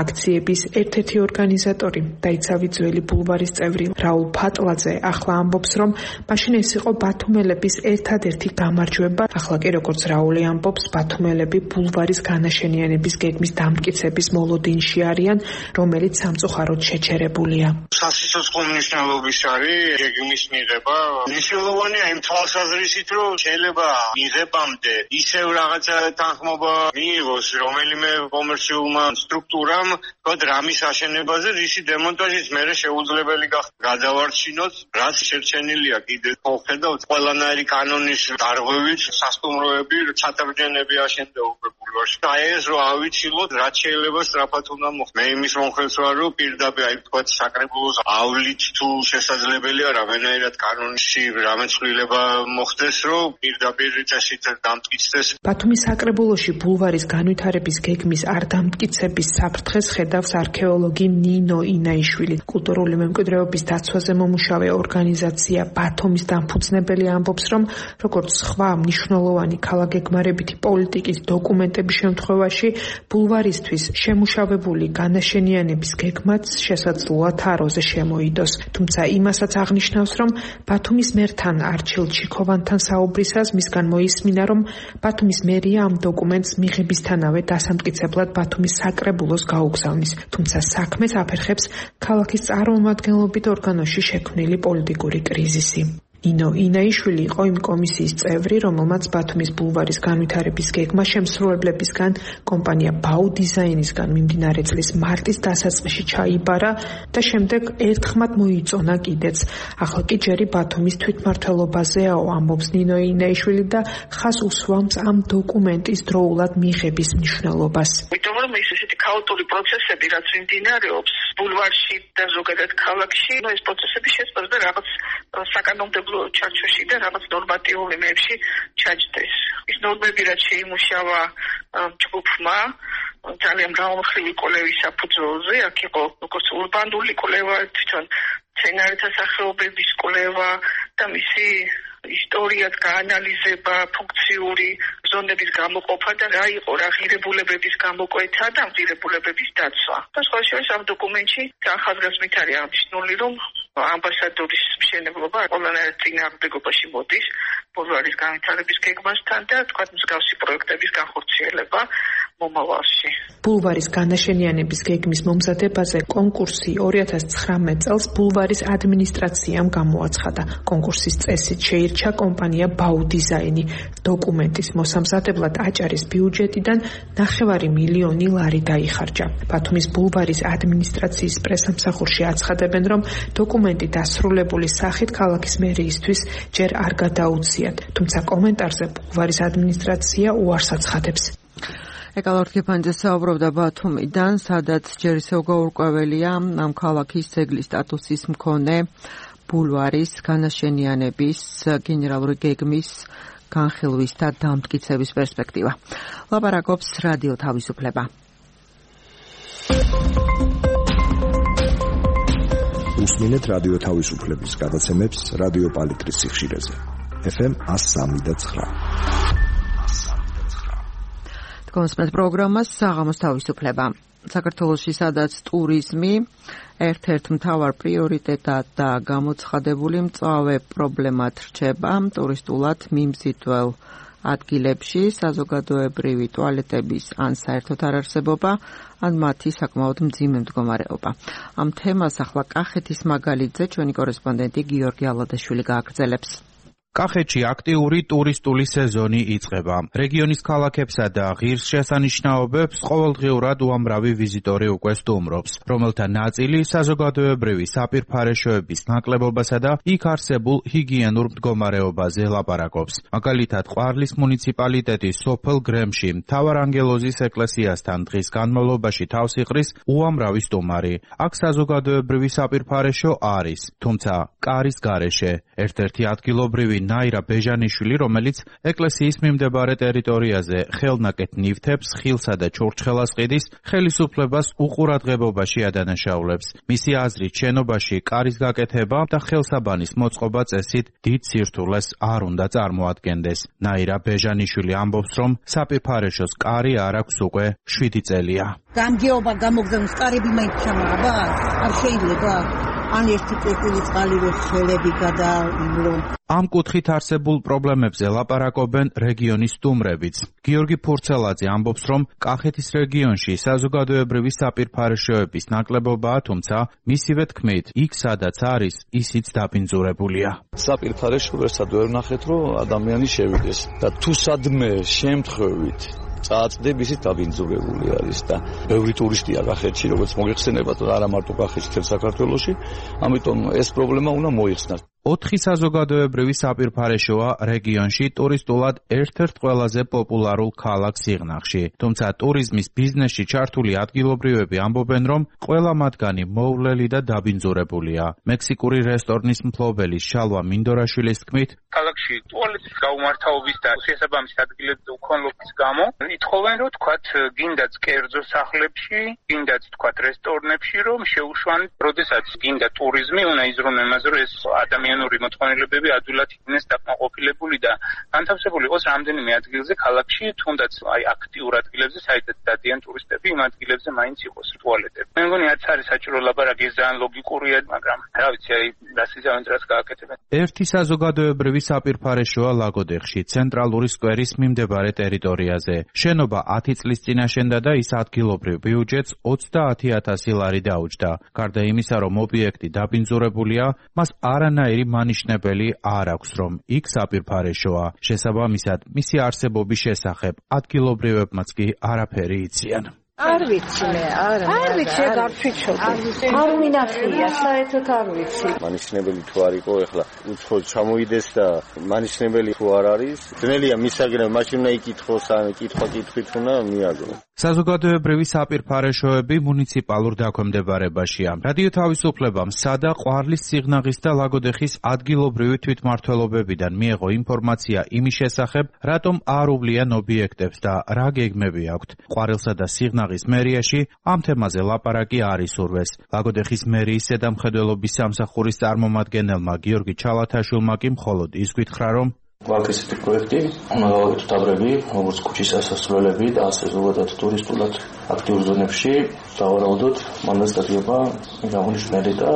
აქციების ერთ-ერთი ორგანიზატორი, დაიცავი ძველი ბულვარის წევრი რაულ ფატლაძე ახლა ამბობს, რომ მაშინ ეს იყო ბათუმელების ერთადერთი გამარჯვება. ახლა კი როგორც რაული ამბობს, ბათუმელები ბულვარის განაშენიანების გეგმის დამტკიცების მოლოდინში არიან, რომელიც სამწუხაროდ შეჩერებულია. სასიცოცხლო მნიშვნელობის არის გეგმის მიღება. მნიშვნელოვანია იმ თვალსაზრისით, რომ შეიძლება მიღებამდე ისევ რაღაცა თანხმობა მიიღოს რომელიმე კომერციულმა სტრუქტურამ, თქო რამის აშენებაზე, რისი დემონტაჟიც მერე შეუძლებელი გახდა. გადავარჩინოთ, რაც შერჩენილია კიდე ხედავთ ყველანაირი კანონის დარღვევით, სასტუმროები, ჩატარჯენები აშენდა უკვე. ბულვარში. აი ეს რო ავიცილოთ, რაც შეიძლება სწრაფად უნდა მოხდეს. მე იმის მომხრეც ვარ, რომ პირდაპირ აი თქვა საკრებულოს ავლით თუ შესაძლებელია რამენაირად კანონში რამეცვლილება მოხდეს, რომ პირდაპირ წესით დამტკიცდეს. ბათუმის საკრებულოში ბულვარის განვითარების გეგმის არ დამტკიცების საფრთხეს ხედავს არქეოლოგი ნინო ინაიშვილი. კულტურული მემკვიდრეობის დაცვაზე მომუშავე ორგანიზაცია ბათუმის დამფუძნებელი ამბობს, რომ როგორც სხვა მნიშვნელოვანი ქალაქგეგმარებითი პოლიტიკის დოკუმენტების შემთხვევაში ბულვარისთვის შემუშავებული განაშენიანების გეგმაც შესაძლოა თაროზე შემოიდოს. თუმცა იმასაც აღნიშნავს, რომ ბათუმის მერთან არჩილ ჩიქოვანთან საუბრისას მისგან მოისმინა, რომ ბათუმის მერია ამ დოკუმენტს მიღებისთანავე დასამტკიცებლად ბათუმის საკრებულოს გაუგზავნის. თუმცა საქმეს აფერხებს ქალაქის წარმომადგენლობით ორგანოში შექმნილი პოლიტიკური კრიზისი. ნინო ინაიშვილი იყო იმ კომისიის წევრი, რომელმაც ბათუმის ბულვარის განვითარების გეგმა შემსრულებლებისგან კომპანია ბაუ დიზაინისგან მიმდინარე წლის მარტის დასაწყისში ჩაიბარა და შემდეგ ერთხმად მოიწონა კიდეც. ახლა კი ჯერი ბათუმის თვითმმართველობაზეაო, ამბობს ნინო ინაიშვილი და ხას უსვამს ამ დოკუმენტის დროულად მიღების მნიშვნელობას. იმიტომ რომ ის ესეთი ქაოტური პროცესები, რაც მიმდინარეობს ბულვარში და ზოგადად ქალაქში, ეს პროცესები შეწყვეტა რაღაც საკანონმდებლო ჩარჩოში და რაღაც ნორმატიულ იმებში ჩაჯდეს. ის ნორმები რაც შეიმუშავა ჯგუფმა ძალიან მრავალმხრივი კვლევის საფუძველზე, აქ იყო როგორც ურბანული კვლევა, თვითონ მცენარეთა სახეობების კვლევა და მისი ისტორიად გაანალიზება, ფუნქციური ზონების გამოყოფა და რა იყო რა ღირებულებების გამოკვეთა და ამ ღირებულებების დაცვა. და სხვა შორის ამ დოკუმენტში ახალგაზრდით არის აღნიშნული, რომ ამბასადორის მშენებლობა ყველანაირად წინააღმდეგობაში მოდის ბულვარის განვითარების გეგმასთან და თქვა მსგავსი პროექტების განხორციელება მომავალში. ბულვარის განაშენიანების გეგმის მომზადებაზე კონკურსი ორი ათას ცხრამეტ წელს ბულვარის ადმინისტრაციამ გამოაცხადა. კონკურსის წესით შეირჩა კომპანია ბაუ დიზაინი. დოკუმენტის მოსამზადებლად აჭარის ბიუჯეტიდან ნახევარი მილიონი ლარი დაიხარჯა. ბათუმის ბულვარის ადმინისტრაციის პრესამსახურში აცხადებენ, რომ დოკუმენტი დასრულებული სახით ქალაქის მერიისთვის ჯერ არ გადაუციათ, თუმცა კომენტარზე ბულვარის ადმინისტრაცია უარს აცხადებს. ეკალორ კიფანიძე საუბრობდა ბათუმიდან, სადაც ჯერ ისევ გაურკვეველია ამ ქალაქის ძეგლის სტატუსის მქონე ბულვარის განაშენიანების გენერალური გეგმის განხილვის და დამტკიცების პერსპექტივა. ლაპარაკობს რადიო თავისუფლება. უსმინეთ რადიო თავისუფლების გადაცემებს რადიო პალიტრის სიხშირეზე. ეფ ემ one oh three point nine. კონსპეთ პროგრამას საღამოს თავისუფლება. საქართველოში სადაც ტურიზმი ერთ-ერთ მთავარ პრიორიტეტად და გამოცხადებული მწვავე პრობლემად რჩება, ტურისტულად მიმზიდველ ადგილებში საზოგადოებრივი ტუალეტების ან საერთოდ არ არსებობა, ან მათი საკმაოდ მძიმე მდგომარეობა. ამ თემას ახლა კახეთის მაგალითზე ჩვენი კორესპონდენტი გიორგი ალადაშვილი გააგრძელებს. კახეთში აქტიური ტურისტული სეზონი იწყება. რეგიონის ქალაქებსა და ღირსშესანიშნაობებს ყოველდღიურად უამრავი ვიზიტორი უკვე სტუმრობს, რომელთა ნაწილი საზოგადოებრივი საპირფარეშოების ნაკლებობასა და იქ არსებულ ჰიგიენურ მდგომარეობაზე ლაპარაკობს. მაგალითად, ყვარლის მუნიციპალიტეტის სოფელ გრემში მთავარანგელოზის ეკლესიასთან დღის განმავლობაში თავს იყრის უამრავი სტუმარი. აქ საზოგადოებრივი საპირფარეშო არის, თუმცა კარის გარეშე. ერთ-ერთი ადგილობრივი ნაირა ბეჟანიშვილი, რომელიც ეკლესიის მიმდებარე ტერიტორიაზე ხელნაკეთ ნივთებს, ხილსა და ჩურჩხელას ყიდის, ხელისუფლებას უყურადღებობაში ადანაშაულებს. მისი აზრით, შენობაში კარის გაკეთება და ხელსაბანის მოწყობა წესით დიდ სირთულეს არ უნდა წარმოადგენდეს. ნაირა ბეჟანიშვილი ამბობს, რომ საპირფარეშოს კარი არ აქვს უკვე შვიდი წელია. გამგეობა გამოგზავნოს კარები მაინც ჩამააბა? არ შეიძლება? ან ერთი წელი წყალივე ხელები გადაიმლო. ამ კუთხით არსებულ პრობლემებზე ლაპარაკობენ რეგიონის სტუმრებიც. გიორგი ფურცელაძე ამბობს, რომ კახეთის რეგიონში საზოგადოებრივი საპირფარეშოების ნაკლებობაა, თუმცა მისივე თქმით, იქ სადაც არის, ისიც დაბინძურებულია. საპირფარეშო ვერსად ვერ ნახეთ, რომ ადამიანი შევიდეს და თუ სადმე შემთხვევით წააწდებ, ისიც დაბინძურებული არის და ბევრი ტურისტია კახეთში, როგორც მოგეხსენებათ, არა მარტო კახეთში, თელ საქართველოში, ამიტომ ეს პრობლემა უნდა მოიხსნას. ოთხი საზოგადოებრივი საპირფარეშოა რეგიონში ტურისტულად ერთ-ერთ ყველაზე პოპულარულ ქალაქ სიღნაღში. თუმცა ტურიზმის ბიზნესში ჩართული ადგილობრივები ამბობენ, რომ ყველა მათგანი მოვლელი და დაბინძურებულია. მექსიკური რესტორნის მფლობელი შალვა მინდორაშვილის თქმით, ქალაქში ტუალეტის გაუმართავობის და შესაბამის ადგილებზე უქონლობის გამო ითხოვენ, რომ თქვათ გინდაც კერძო სახლებში, გინდაც თქვათ რესტორნებში, რომ შეუშვან, როდესაც გინდა ტურიზმი, უნდა იზრუნო იმაზე, რომ ეს ადამიანური მოწყობილობები ადვილად იქნეს დაკმაყოფილებული და განთავსებული იყოს რამდენიმე ადგილზე ქალაქში, თუნდაც აი აქტიურ ადგილებზე, საიდანაც დადიან ტურისტები, იმ ადგილებზე მაინც იყოს ტუალეტები. მე მგონი რაც არის საჭირო ლაბარაკი, ეს ძალიან ლოგიკურია, მაგრამ რა ვიცი, აი დასიზავენ რაც გააკეთებენ. ერთი საზოგადოებრივი საპირფარეშოა ლაგოდეხში, ცენტრალური სკვერის მიმდებარე ტერიტორიაზე. შენობა ათი წლის წინ აშენდა და ის ადგილობრივ ბიუჯეტს ოცდაათი ათასი ლარი დაუჯდა. გარდა იმისა, რომ ობიექტი დაბინძურებულია, მას არანაირი მანიშნებელი არ აქვს, რომ იქ საპირფარეშოა. შესაბამისად, მისი არსებობის შესახებ ადგილობრივებმაც კი არაფერი იციან. არ ვიცი მე, არა. არ ვიცი, არ ვიცი. არ მინახია, საერთოდ არ ვიცი. მანიშნებელი თუ არ იყო, ეხლა უცხო ჩამოიდეს და მანიშნებელი თუ არ არის, ძნელია მისაგრება, მაშინ უნდა იკითხოს, ან კითხვა კითხვით უნდა მიაგო. საზოგადოებრივი საპირფარეშოები მუნიციპალურ დაქვემდებარებაშია. რადიო თავისუფლებამ სადა ყვარლის სიღნაღის და ლაგოდეხის ადგილობრივი თვითმმართველობებიდან მიიღო ინფორმაცია იმის შესახებ, რატომ არ უვლიან ობიექტებს და რა გეგმები აქვთ. ყვარელსა და სიღნაღის მერიაში ამ თემაზე ლაპარაკი არ ისურვეს. ლაგოდეხის მერიის ზედამხედველობის სამსახურის წარმომადგენელმა გიორგი ჩალათაშვილმა კი მხოლოდ ის გითხრა, რომ გვაქვს ესეთი პროექტი, მაგალითად დაბრები, როგორც ქუჩის ასასვლელები და ასე ზოგადად ტურისტულად აქტიურ ზონებში დავარაუდოთ, მანდაც დადგება მიღწეული და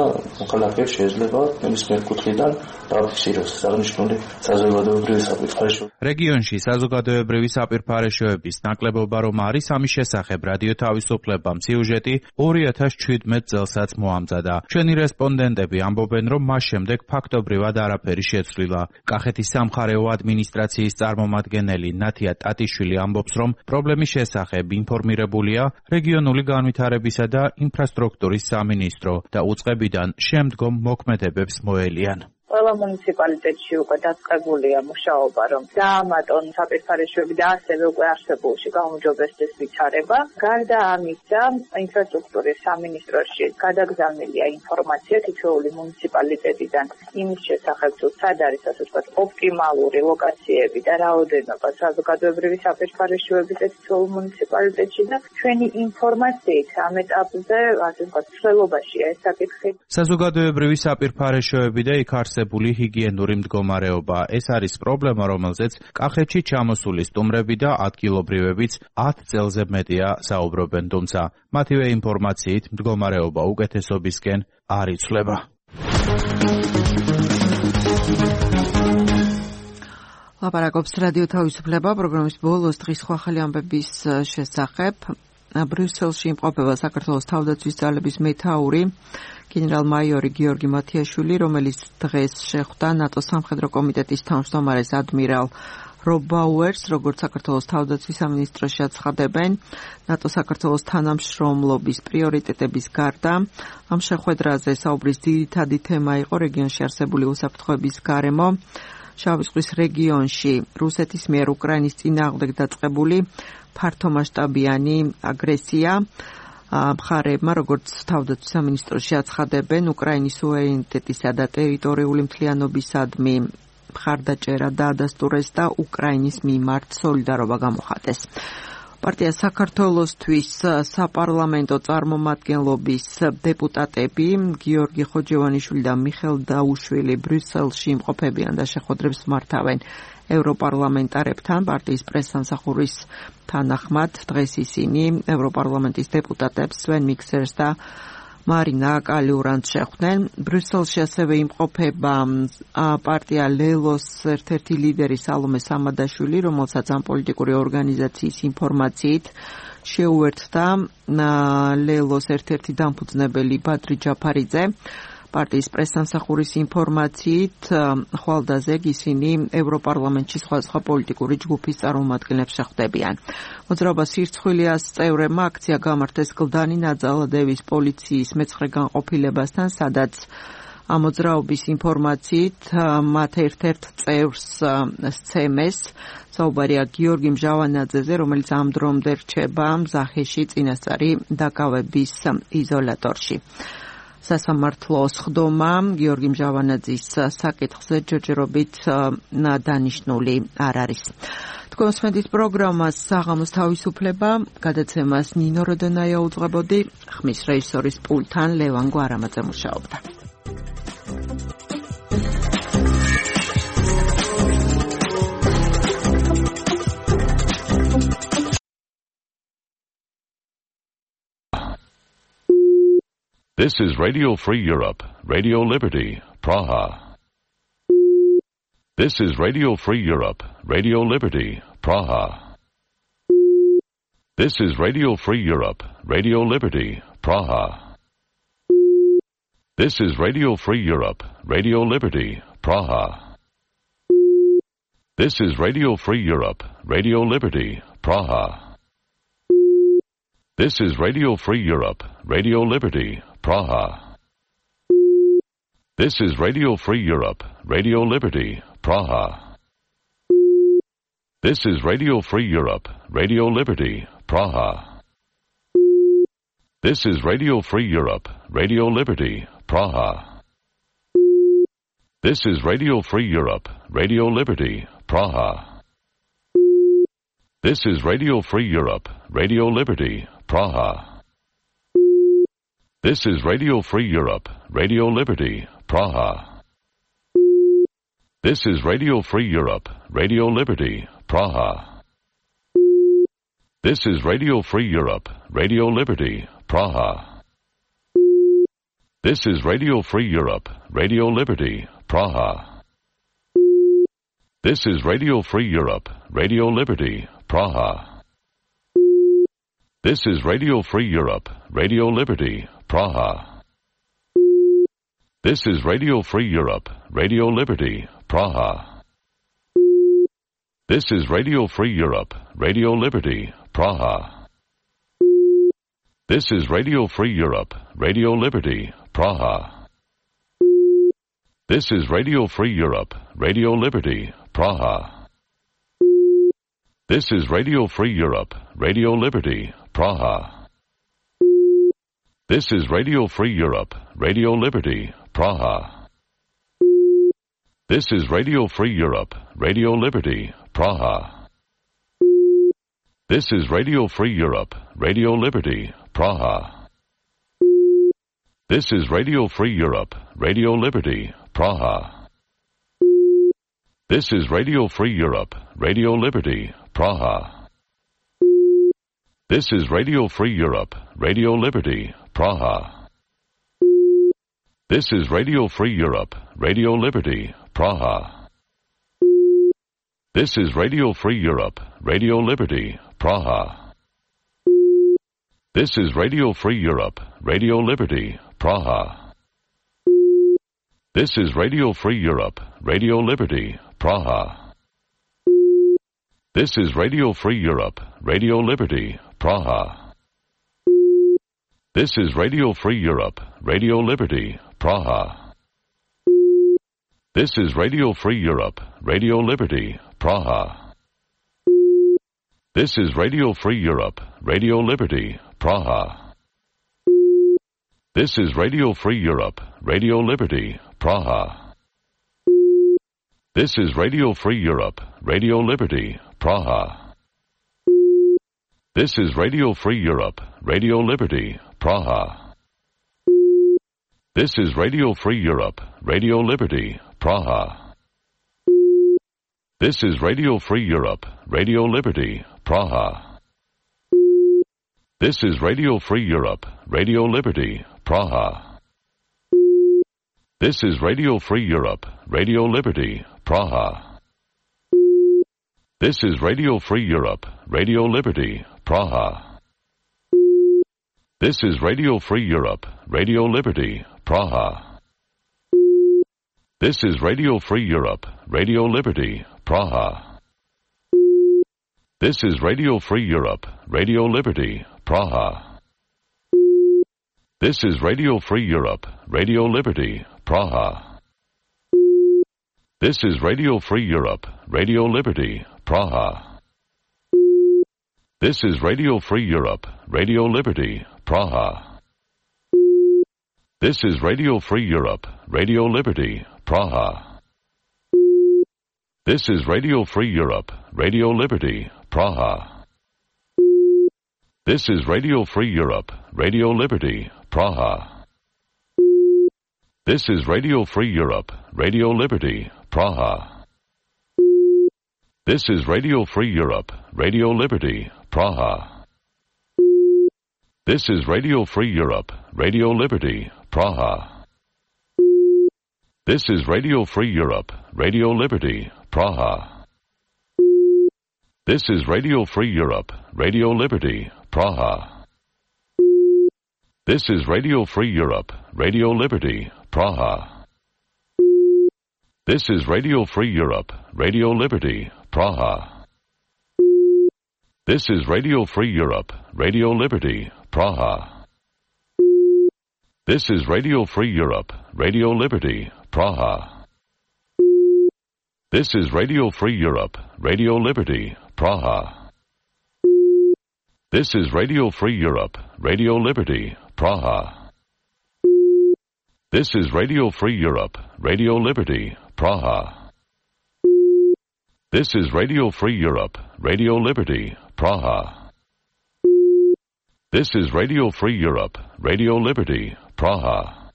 მოქალაქეებს შეიძლება ნებისმიერ კუთხიდან დააფიქსიროს აღნიშნული საზოგადოებრივი საპირფარეშოები. რეგიონში საზოგადოებრივი საპირფარეშოების ნაკლებობა რომ არის, ამის შესახებ რადიო თავისუფლებამ სიუჟეტი ორი ათას შვიდმეტ წელსაც მოამზადა. ჩვენი რესპონდენტები ამბობენ, რომ მას შემდეგ ფაქტობრივად არაფერი შეცვლილა. კახეთის სამხარეო ადმინისტრაციის წარმომადგენელი ნათია ტატიშვილი ამბობს, რომ პრობლემის შესახებ ინფორმირებულია რეგიონული განვითარებისა და ინფრასტრუქტურის სამინისტრო და უწყებიდან შემდგომ მოქმედებებს მოელიან. ყველა მუნიციპალიტეტში უკვე დაწყებულია მუშაობა, რომ დაამატონ საპირფარეშოები და ასევე უკვე არსებულში გაუმჯობესდეს ვითარება. გარდა ამისა, ინფრასტრუქტურის სამინისტროში გადაგზავნილია ინფორმაცია თითოეული მუნიციპალიტეტიდან იმის შესახებ, თუ სად არის ასე ვთქვათ ოპტიმალური ლოკაციები და რაოდენობა საზოგადოებრივი საპირფარეშოების თითოეულ მუნიციპალიტეტში და ჩვენი ინფორმაციით ამ ეტაპზე ასე ვთქვათ ცვლილობაშია ეს საკითხი. საზოგადოებრივი საპირფარეშოები და იქ არსებული ჰიგიენური მდგომარეობა. ეს არის პრობლემა, რომელზეც კახეთში ჩამოსული სტუმრები და ადგილობრივებიც ათ წელზე მეტია საუბრობენ, თუმცა მათივე ინფორმაციით მდგომარეობა უკეთესობისკენ არ იცვლება. ლაპარაკობს რადიო თავისუფლება პროგრამის ბოლოს დღის ხვალ ამბების შესახებ. ბრიუსელში იმყოფება საქართველოს თავდაცვის ძალების მეთაური გენერალ-მაიორი გიორგი მათიაშვილი, რომელიც დღეს შეხვდა ნატოს სამხედრო კომიტეტის თავმჯდომარეს ადმირალ რობ ბაუერს, როგორც საქართველოს თავდაცვის სამინისტროში აცხადებენ, ნატო საქართველოს თანამშრომლობის პრიორიტეტების გარდა ამ შეხვედრაზე საუბრის ძირითადი თემა იყო რეგიონში არსებული უსაფრთხოების გარემო, შავი ზღვის რეგიონში რუსეთის მიერ უკრაინის წინააღმდეგ დაწყებული ფართომასშტაბიანი აგრესია. მხარეებმა, როგორც თავდაცვის სამინისტროში აცხადებენ, უკრაინის სუვერენიტეტისა და ტერიტორიული მთლიანობისადმი მხარდაჭერა დაადასტურეს და უკრაინის მიმართ სოლიდარობა გამოხატეს. პარტია საქართველოსთვის საპარლამენტო წარმომადგენლობის დეპუტატები გიორგი ხოჯევანიშვილი და მიხელ დაუშვილი ბრიუსელში იმყოფებიან და შეხვედრებს მართავენ ევროპარლამენტარებთან. პარტიის პრესსამსახურის თანახმად დღეს ისინი ევროპარლამენტის დეპუტატებს სვენ მიქსერს და მარინა კალიურანტს შეხვდნენ. ბრიუსელში ასევე იმყოფება პარტია ლელოს ერთ-ერთი ლიდერი სალომე სამადაშვილი, რომელსაც ამ პოლიტიკური ორგანიზაციის ინფორმაციით შეუერთდა ლელოს ერთ-ერთი დამფუძნებელი ბადრი ჯაფარიძე. პარტიის პრესსამსახურის ინფორმაციით ხვალდაზე ისინი ევროპარლამენტში სხვადასხვა პოლიტიკური ჯგუფის წარმომადგენლებს შეხვდებიან. მოძრაობას სირცხვილიას წევრებმა აქცია გამართეს კლდანი ნაძალადევის პოლიციის მეცხრე განყოფილებასთან, სადაც ამ მოძრაობის ინფორმაციით მათ ერთ-ერთ წევრს სცემეს, საუბარია გიორგი მჟავანაძეზე, რომელიც ამ დრომდე რჩება მზახეში წინასწარი დაკავების იზოლატორში. სასამართლო სხდომა გიორგი მჟავანაძის საკითხზე ჯერჯერობით დანიშნული არ არის. თქვენ მსმენთ პროგრამას საღამოს თავისუფლება, გადაცემას ნინო როდონაია უძღვებოდი, ხმის რეჟისორის პულტთან ლევან გვარამაძე მუშაობდა. This is Radio Free Europe, Radio Liberty, Praha. This is Radio Free Europe, Radio Liberty, Praha. This is Radio Free Europe, Radio Liberty, Praha. This is Radio Free Europe, Radio Liberty, Praha. This is Radio Free Europe, Radio Liberty, Praha. This is Radio Free Europe, Radio Liberty, Praha. This is Radio Free Europe, Radio Liberty, Praha. This is Radio Free Europe, Radio Liberty, Praha. This is Radio Free Europe, Radio Liberty, Praha. This is Radio Free Europe, Radio Liberty, Praha. This is Radio Free Europe, Radio Liberty, Praha. This is Radio Free Europe, Radio Liberty, Praha. This is Radio Free Europe, Radio Liberty, Praha. This is Radio Free Europe, Radio Liberty, Praha. This is Radio Free Europe, Radio Liberty, Praha. This is Radio Free Europe, Radio Liberty, Praha. This is Radio Free Europe, Radio Liberty, Praha. This is Radio Free Europe, Radio Liberty, Praha. This is Radio Free Europe, Radio Liberty, Praha. This is Radio Free Europe, Radio Liberty, Praha. This is Radio Free Europe, Radio Liberty, Praha. This is Radio Free Europe, Radio Liberty, Praha. This is Radio Free Europe, Radio Liberty, Praha. This is Radio Free Europe, Radio Liberty, Praha. This is Radio Free Europe, Radio Liberty, Praha. This is Radio Free Europe, Radio Liberty, Praha. This is Radio Free Europe, Radio Liberty, Praha. This is Radio Free Europe, Radio Liberty, Praha. This is Radio Free Europe, Radio Liberty, Praha. This is Radio Free Europe, Radio Liberty, Praha. This is Radio Free Europe, Radio Liberty, Praha. This is Radio Free Europe, Radio Liberty, Praha. This is Radio Free Europe, Radio Liberty, Praha. This is Radio Free Europe, Radio Liberty, Praha. This is Radio Free Europe, Radio Liberty, Praha. This is Radio Free Europe, Radio Liberty, Praha. This is Radio Free Europe, Radio Liberty, Praha. This is Radio Free Europe, Radio Liberty, Praha. This is Radio Free Europe, Radio Liberty, Praha. This is Radio Free Europe, Radio Liberty, Praha. This is Radio Free Europe, Radio Liberty, Praha. This is Radio Free Europe, Radio Liberty, Praha. This is Radio Free Europe, Radio Liberty, Praha. This is Radio Free Europe, Radio Liberty, Praha. This is Radio Free Europe, Radio Liberty, Praha. This is Radio Free Europe, Radio Liberty, Praha. This is Radio Free Europe, Radio Liberty, Praha. This is Radio Free Europe, Radio Liberty, Praha. This is Radio Free Europe, Radio Liberty, Praha. This is Radio Free Europe, Radio Liberty, Praha. This is Radio Free Europe, Radio Liberty, Praha. This is Radio Free Europe, Radio Liberty, Praha. This is Radio Free Europe, Radio Liberty, Praha. This is Radio Free Europe, Radio Liberty, Praha. This is Radio Free Europe, Radio Liberty, Praha. This is Radio Free Europe, Radio Liberty, Praha. This is Radio Free Europe, Radio Liberty, Praha. This is Radio Free Europe, Radio Liberty, Praha. This is Radio Free Europe, Radio Liberty, Praha. This is Radio Free Europe, Radio Liberty, Praha. This is Radio Free Europe, Radio Liberty, Praha. This is Radio Free Europe, Radio Liberty, Praha. This is Radio Free Europe, Radio Liberty, Praha. This is Radio Free Europe, Radio Liberty, Praha. This is Radio Free Europe, Radio Liberty, Praha. This is Radio Free Europe, Radio Liberty, Praha. This is Radio Free Europe, Radio Liberty, Praha.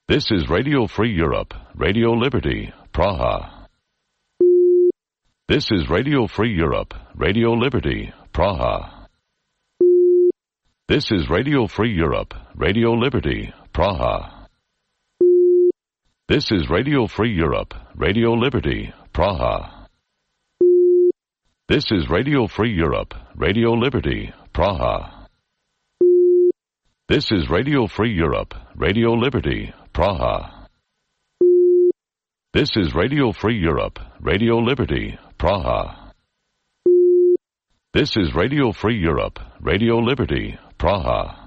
This is Radio Free Europe, Radio Liberty, Praha. This is Radio Free Europe, Radio Liberty, Praha. This is Radio Free Europe, Radio Liberty, Praha. This is Radio Free Europe, Radio Liberty, Praha. This is Radio Free Europe, Radio Liberty, Praha. This is Radio Free Europe, Radio Liberty, Praha. This is Radio Free Europe, Radio Liberty, Praha. This is Radio Free Europe, Radio Liberty, Praha.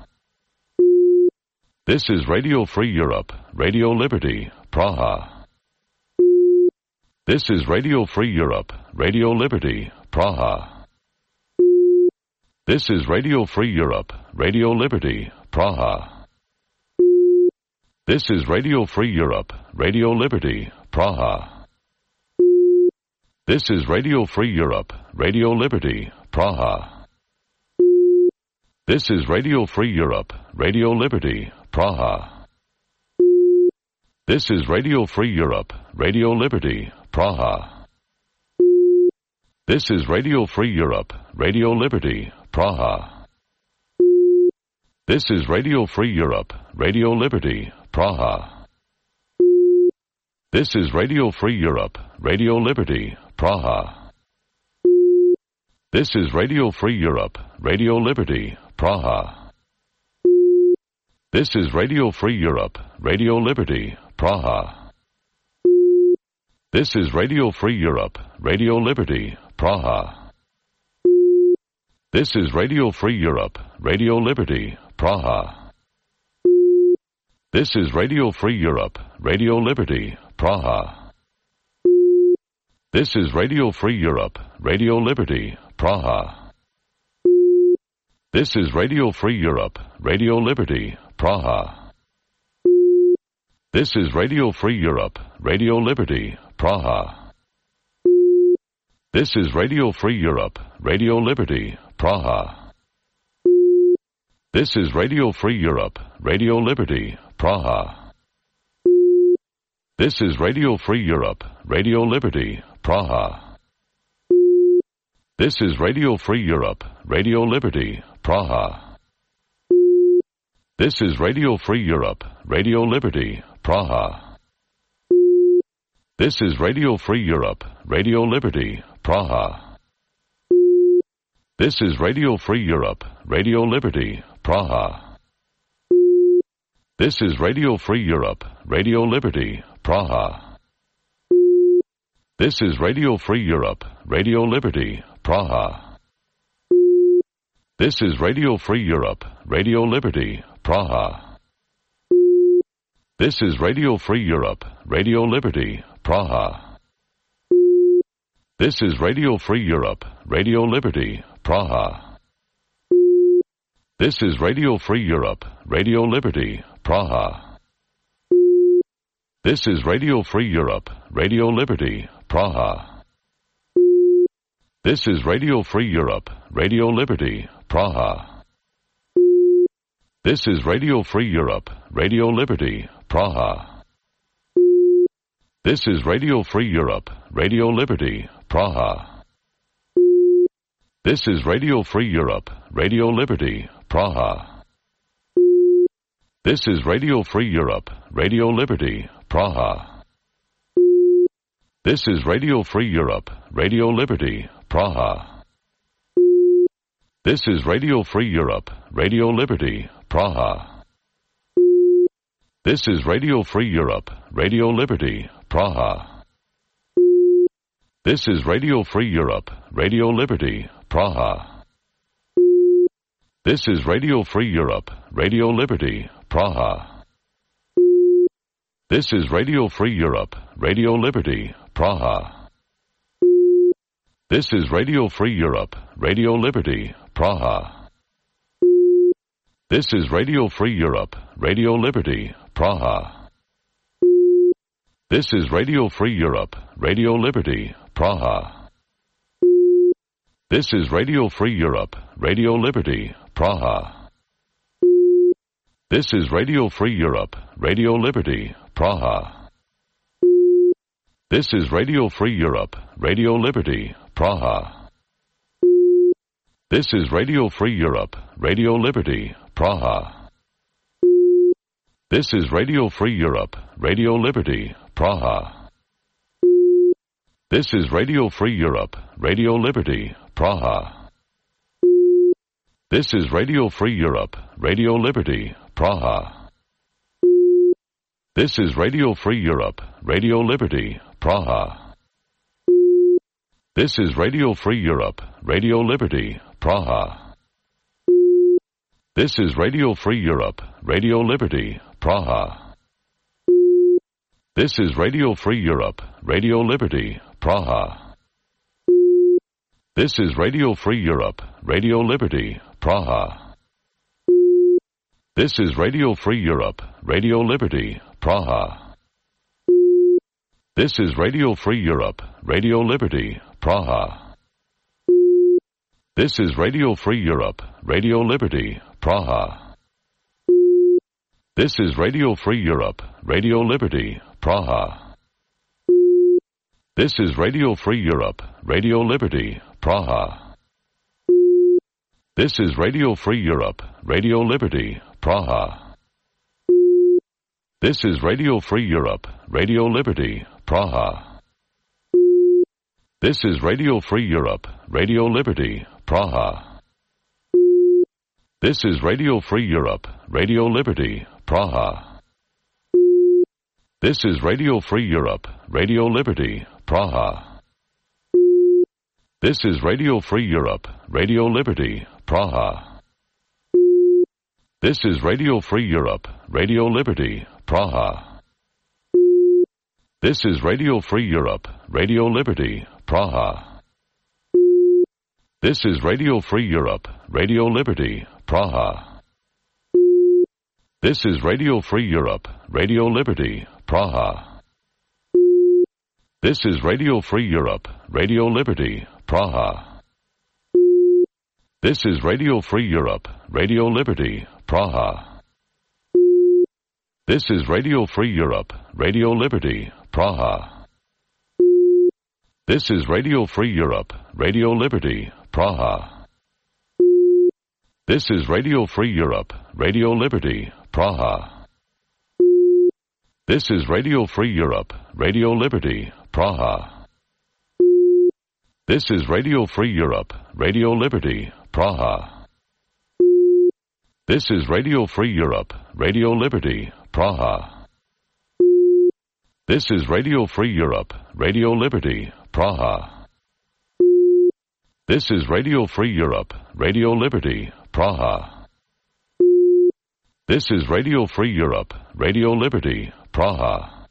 This is Radio Free Europe, Radio Liberty, Praha. This is Radio Free Europe, Radio Liberty, Praha. This is Radio Free Europe, Radio Liberty, Praha. This is Radio Free Europe, Radio Liberty, Praha. This is Radio Free Europe, Radio Liberty, Praha. This is Radio Free Europe, Radio Liberty, Praha. This is Radio Free Europe, Radio Liberty, Praha. This is Radio Free Europe, Radio Liberty, Praha. This is Radio Free Europe, Radio Liberty, Praha. This is Radio Free Europe, Radio Liberty, Praha. This is Radio Free Europe, Radio Liberty, Praha. This is Radio Free Europe, Radio Liberty, Praha. This is Radio Free Europe, Radio Liberty, Praha. This is Radio Free Europe, Radio Liberty, Praha. This is Radio Free Europe, Radio Liberty, Praha. This is Radio Free Europe, Radio Liberty, Praha. This is Radio Free Europe, Radio Liberty, Praha. This is Radio Free Europe, Radio Liberty, Praha. This is Radio Free Europe, Radio Liberty, Praha. This is Radio Free Europe, Radio Liberty, Praha. This is Radio Free Europe, Radio Liberty, Praha. This is Radio Free Europe, Radio Liberty, Praha. This is Radio Free Europe, Radio Liberty, Praha. This is Radio Free Europe, Radio Liberty, Praha. This is Radio Free Europe, Radio Liberty, Praha. This is Radio Free Europe, Radio Liberty, Praha. This is Radio Free Europe, Radio Liberty, Praha. This is Radio Free Europe, Radio Liberty, Praha. This is Radio Free Europe, Radio Liberty, Praha. This is Radio Free Europe, Radio Liberty, Praha. This is Radio Free Europe, Radio Liberty, Praha. This is Radio Free Europe, Radio Liberty, Praha. This is Radio Free Europe, Radio Liberty, Praha. This is Radio Free Europe, Radio Liberty, Praha. This is Radio Free Europe, Radio Liberty, Praha. This is Radio Free Europe, Radio Liberty, Praha. This is Radio Free Europe, Radio Liberty, Praha. This is Radio Free Europe, Radio Liberty, Praha. This is Radio Free Europe, Radio Liberty, Praha. This is Radio Free Europe, Radio Liberty, Praha. This is Radio Free Europe, Radio Liberty, Praha. This is Radio Free Europe, Radio Liberty, Praha. This is Radio Free Europe, Radio Liberty, Praha. This is Radio Free Europe, Radio Liberty, Praha. This is Radio Free Europe, Radio Liberty, Praha. This is Radio Free Europe, Radio Liberty, Praha. This is Radio Free Europe, Radio Liberty, Praha. This is Radio Free Europe, Radio Liberty, Praha. This is Radio Free Europe, Radio Liberty, Praha. This is Radio Free Europe, Radio Liberty, Praha. This is Radio Free Europe, Radio Liberty, Praha. This is Radio Free Europe, Radio Liberty, Praha. This is Radio Free Europe, Radio Liberty, Praha. This is Radio Free Europe, Radio Liberty, Praha. This is Radio Free Europe, Radio Liberty, Praha. This is Radio Free Europe, Radio Liberty, Praha. This is Radio Free Europe, Radio Liberty, Praha. This is Radio Free Europe, Radio Liberty, Praha. This is Radio Free Europe, Radio Liberty, Praha. This is Radio Free Europe, Radio Liberty, Praha. This is Radio Free Europe, Radio Liberty, Praha. This is Radio Free Europe, Radio Liberty, Praha. This is Radio Free Europe, Radio Liberty, Praha. This is Radio Free Europe, Radio Liberty, Praha. This is Radio Free Europe, Radio Liberty, Praha. This is Radio Free Europe, Radio Liberty, Praha. This is Radio Free Europe, Radio Liberty, Praha. This is Radio Free Europe, Radio Liberty, Praha. This is Radio Free Europe, Radio Liberty, Praha. This is Radio Free Europe, Radio Liberty, Praha. This is Radio Free Europe, Radio Liberty, Praha. This is Radio Free Europe, Radio Liberty, Praha. This is Radio Free Europe, Radio Liberty, Praha. This is Radio Free Europe, Radio Liberty, Praha. This is Radio Free Europe, Radio Liberty, Praha. This is Radio Free Europe, Radio Liberty, Praha. This is Radio Free Europe, Radio Liberty, Praha. This is Radio Free Europe, Radio Liberty, Praha. This is Radio Free Europe, Radio Liberty, Praha. This is Radio Free Europe, Radio Liberty, Praha. This is Radio Free Europe, Radio Liberty, Praha. This is Radio Free Europe, Radio Liberty, Praha. This is Radio Free Europe, Radio Liberty, Praha. This is Radio Free Europe, Radio Liberty, Praha.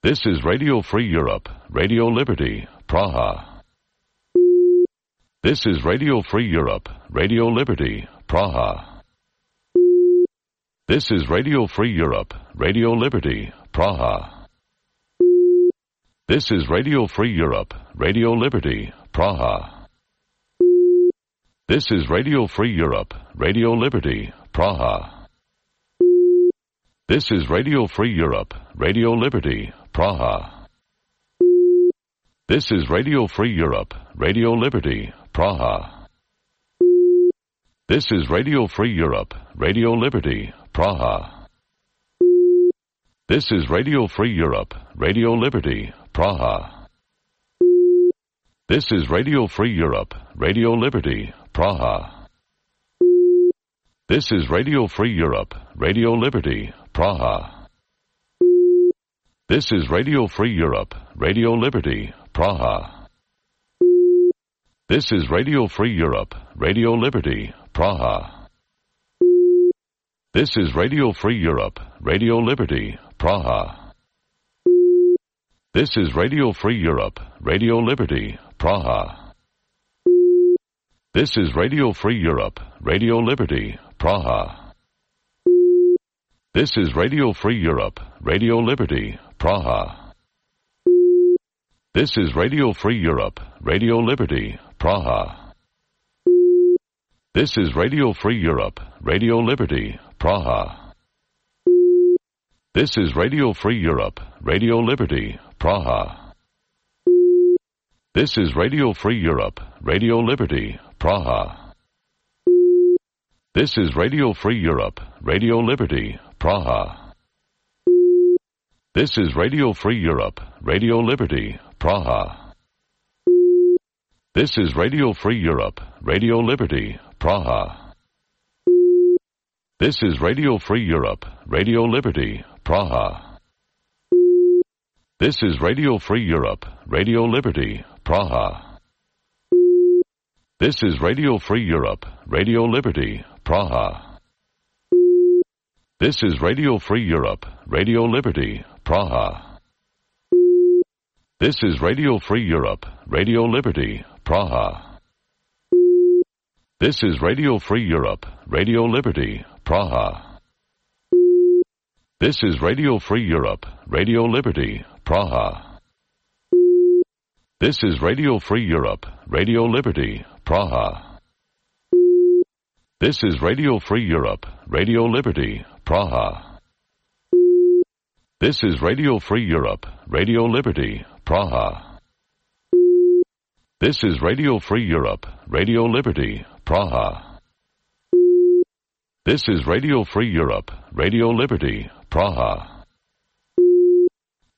This is Radio Free Europe, Radio Liberty, Praha. This is Radio Free Europe, Radio Liberty, Praha. This is Radio Free Europe, Radio Liberty, Praha. This is Radio Free Europe, Radio Liberty, Praha. This is Radio Free Europe, Radio Liberty, Praha. This is Radio Free Europe, Radio Liberty, Praha. This is Radio Free Europe, Radio Liberty, Praha. This is Radio Free Europe, Radio Liberty, Praha. This is Radio Free Europe, Radio Liberty, Praha. This is Radio Free Europe, Radio Liberty, Praha. This is Radio Free Europe, Radio Liberty, Praha. This is Radio Free Europe, Radio Liberty, Praha. This is Radio Free Europe, Radio Liberty, Praha. This is Radio Free Europe, Radio Liberty, Praha. This is Radio Free Europe, Radio Liberty, Praha. This is Radio Free Europe, Radio Liberty, Praha. This is Radio Free Europe, Radio Liberty, Praha. This is Radio Free Europe, Radio Liberty, Praha. This is Radio Free Europe, Radio Liberty, Praha. This is Radio Free Europe, Radio Liberty, Praha. This is Radio Free Europe, Radio Liberty, Praha. This is Radio Free Europe, Radio Liberty, Praha. This is Radio Free Europe, Radio Liberty, Praha. This is Radio Free Europe, Radio Liberty, Praha. This is Radio Free Europe, Radio Liberty, Praha. This is Radio Free Europe, Radio Liberty, Praha. This is Radio Free Europe, Radio Liberty, Praha. This is Radio Free Europe, Radio Liberty, Praha. This is Radio Free Europe, Radio Liberty, Praha. This is Radio Free Europe, Radio Liberty, Praha. This is Radio Free Europe, Radio Liberty, Praha. This is Radio Free Europe, Radio Liberty, Praha. This is Radio Free Europe, Radio Liberty, Praha. This is Radio Free Europe, Radio Liberty, Praha. This is Radio Free Europe, Radio Liberty, Praha. This is Radio Free Europe, Radio Liberty, Praha.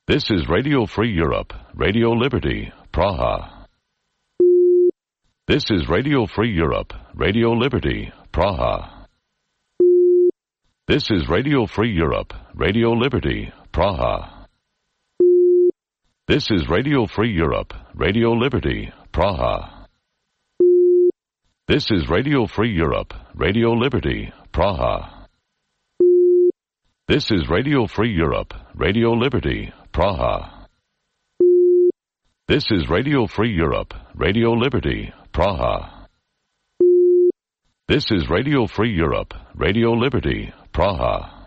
This is Radio Free Europe, Radio Liberty, Praha. This is Radio Free Europe, Radio Liberty, Praha. This is Radio Free Europe, Radio Liberty, Praha. This is Radio Free Europe, Radio Liberty, Praha. This is Radio Free Europe, Radio Liberty, Praha. This is Radio Free Europe, Radio Liberty, Praha. This is Radio Free Europe, Radio Liberty, Praha. This is Radio Free Europe, Radio Liberty, Praha.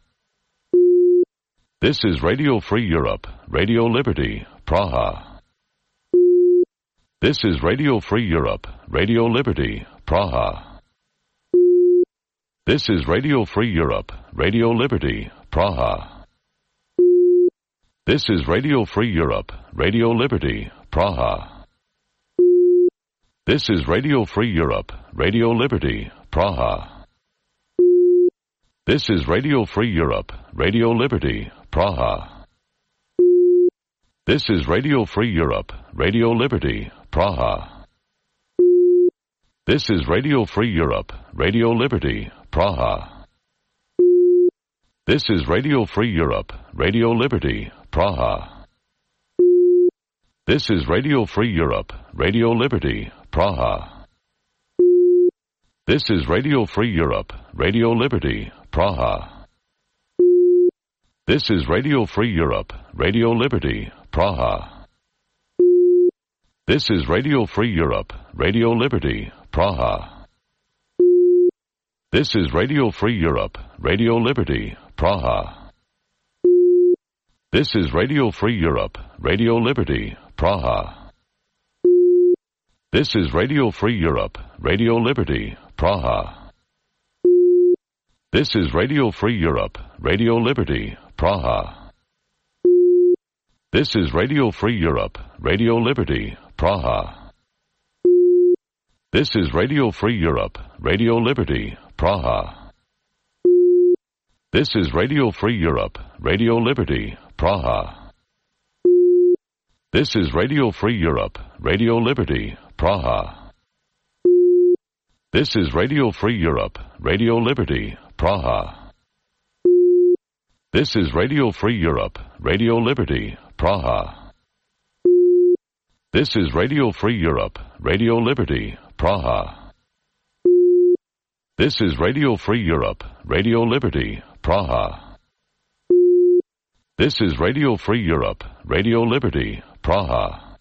This is Radio Free Europe, Radio Liberty, Praha. This is Radio Free Europe, Radio Liberty, Praha. This is Radio Free Europe, Radio Liberty, Praha. This is Radio Free Europe, Radio Liberty, Praha. This is Radio Free Europe, Radio Liberty, Praha. This is Radio Free Europe, Radio Liberty, Praha. This is Radio Free Europe, Radio Liberty, Praha. This is Radio Free Europe, Radio Liberty, Praha. This is Radio Free Europe, Radio Liberty, Praha. This is Radio Free Europe, Radio Liberty, Praha. This is Radio Free Europe, Radio Liberty, Praha. This is Radio Free Europe, Radio Liberty, Praha. This is Radio Free Europe, Radio Liberty, Praha. This is Radio Free Europe, Radio Liberty, Praha. This is Radio Free Europe, Radio Liberty, Praha. This is Radio Free Europe, Radio Liberty, Praha. This is Radio Free Europe, Radio Liberty, Praha. This is Radio Free Europe, Radio Liberty, Praha. This is Radio Free Europe, Radio Liberty, Praha. This is Radio Free Europe, Radio Liberty, Praha. This is Radio Free Europe, Radio Liberty, Praha. This is Radio Free Europe, Radio Liberty, Praha. This is Radio Free Europe, Radio Liberty, Praha. This is Radio Free Europe, Radio Liberty, Praha. This is Radio Free Europe, Radio Liberty, Praha. This is Radio Free Europe, Radio Liberty, Praha.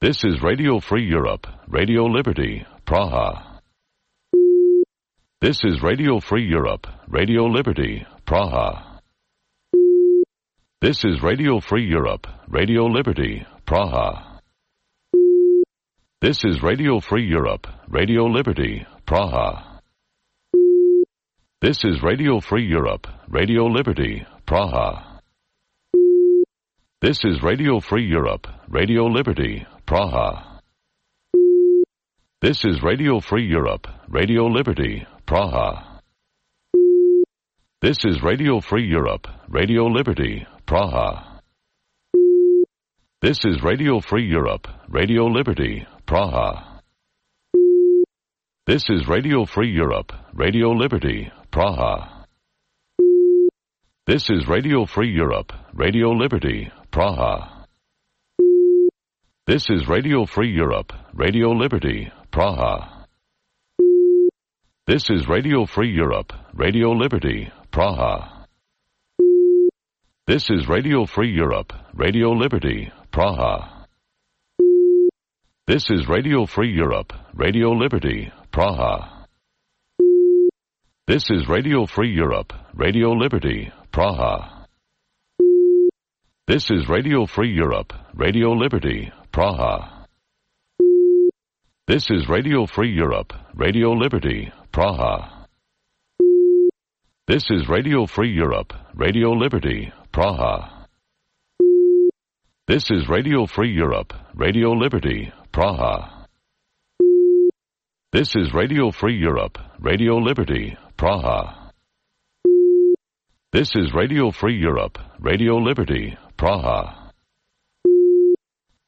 This is Radio Free Europe, Radio Liberty, Praha. This is Radio Free Europe, Radio Liberty, Praha. This is Radio Free Europe, Radio Liberty, Praha. This is Radio Free Europe, Radio Liberty, Praha. This is Radio Free Europe, Radio Liberty, Praha. This is Radio Free Europe, Radio Liberty, Praha. This is Radio Free Europe, Radio Liberty, Praha. This is Radio Free Europe, Radio Liberty, Praha. This is Radio Free Europe, Radio Liberty, Praha. This is Radio Free Europe, Radio Liberty, Praha. This is Radio Free Europe, Radio Liberty, Praha. This is Radio Free Europe, Radio Liberty, Praha. This is Radio Free Europe, Radio Liberty, Praha. This is Radio Free Europe, Radio Liberty, Praha. This is Radio Free Europe, Radio Liberty, Praha. This is Radio Free Europe, Radio Liberty, Praha. This is Radio Free Europe, Radio Liberty, Praha. This is Radio Free Europe, Radio Liberty, Praha. This is Radio Free Europe, Radio Liberty, Praha. This is Radio Free Europe, Radio Liberty, Praha. This is Radio Free Europe, Radio Liberty, Praha. This is Radio Free Europe, Radio Liberty, Praha.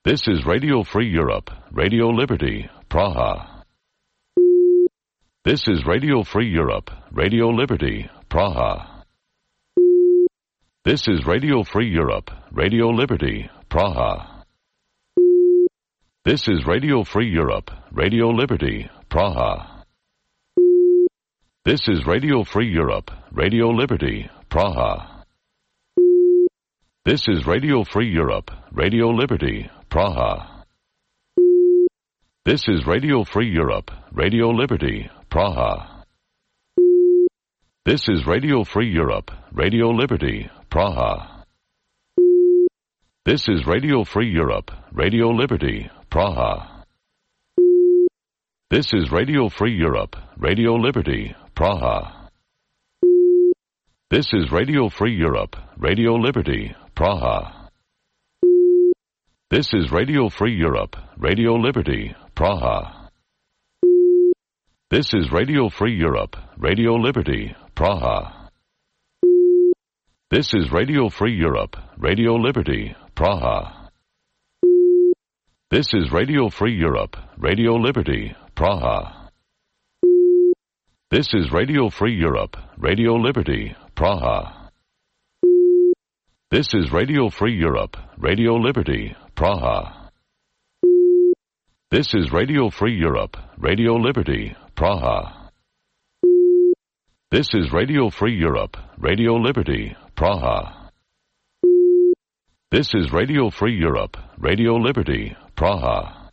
This is Radio Free Europe, Radio Liberty, Praha. This is Radio Free Europe, Radio Liberty, Praha. This is Radio Free Europe, Radio Liberty, Praha. This is Radio Free Europe, Radio Liberty, Praha. This is Radio Free Europe, Radio Liberty, Praha. This is Radio Free Europe, Radio Liberty, Praha. This is Radio Free Europe, Radio Liberty, Praha. This is Radio Free Europe, Radio Liberty, Praha. This is Radio Free Europe, Radio Liberty, Praha. This is Radio Free Europe, Radio Liberty, Praha. This is Radio Free Europe, Radio Liberty, Praha. This is Radio Free Europe, Radio Liberty, Praha. This is Radio Free Europe, Radio Liberty, Praha. This is Radio Free Europe, Radio Liberty, Praha. This is Radio Free Europe, Radio Liberty, Praha. This is Radio Free Europe, Radio Liberty, Praha. This is Radio Free Europe, Radio Liberty, Praha. This is Radio Free Europe, Radio Liberty, Praha. This is Radio Free Europe, Radio Liberty, Praha. This is Radio Free Europe, Radio Liberty, Praha.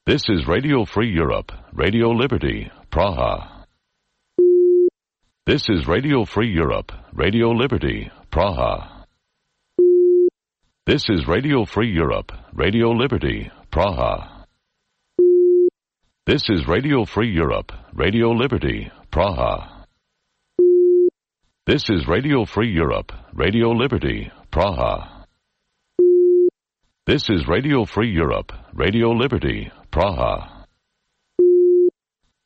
This is Radio Free Europe, Radio Liberty, Praha. This is Radio Free Europe, Radio Liberty, Praha. This is Radio Free Europe, Radio Liberty, Praha. This is Radio Free Europe, Radio Liberty, Praha. This is Radio Free Europe, Radio Liberty, Praha. This is Radio Free Europe, Radio Liberty, Praha.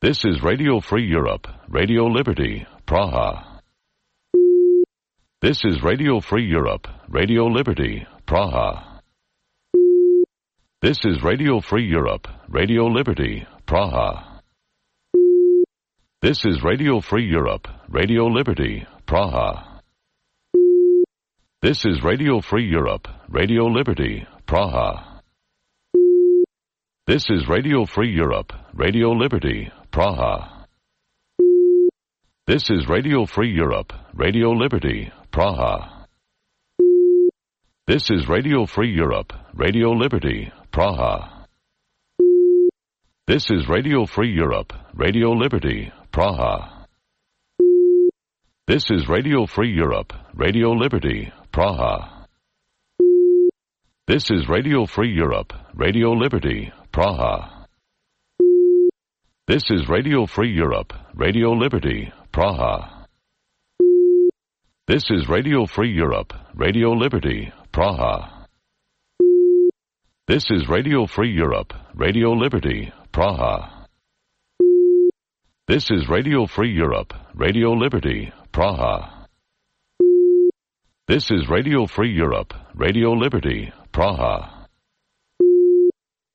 This is Radio Free Europe, Radio Liberty, Praha. This is Radio Free Europe, Radio Liberty, Praha. This is Radio Free Europe, Radio Liberty, Praha. This is Radio Free Europe, Radio Liberty, Praha. This is Radio Free Europe, Radio Liberty, Praha. This is Radio Free Europe, Radio Liberty, Praha. This is Radio Free Europe, Radio Liberty, Praha. This is Radio Free Europe, Radio Liberty, Praha. This is Radio Free Europe, Radio Liberty, Praha. This is Radio Free Europe, Radio Liberty, Praha. This is Radio Free Europe, Radio Liberty, Praha. This is Radio Free Europe, Radio Liberty, Praha. This is Radio Free Europe, Radio Liberty, Praha. This is Radio Free Europe, Radio Liberty, Praha. This is Radio Free Europe, Radio Liberty, Praha. This is Radio Free Europe, Radio Liberty, Praha.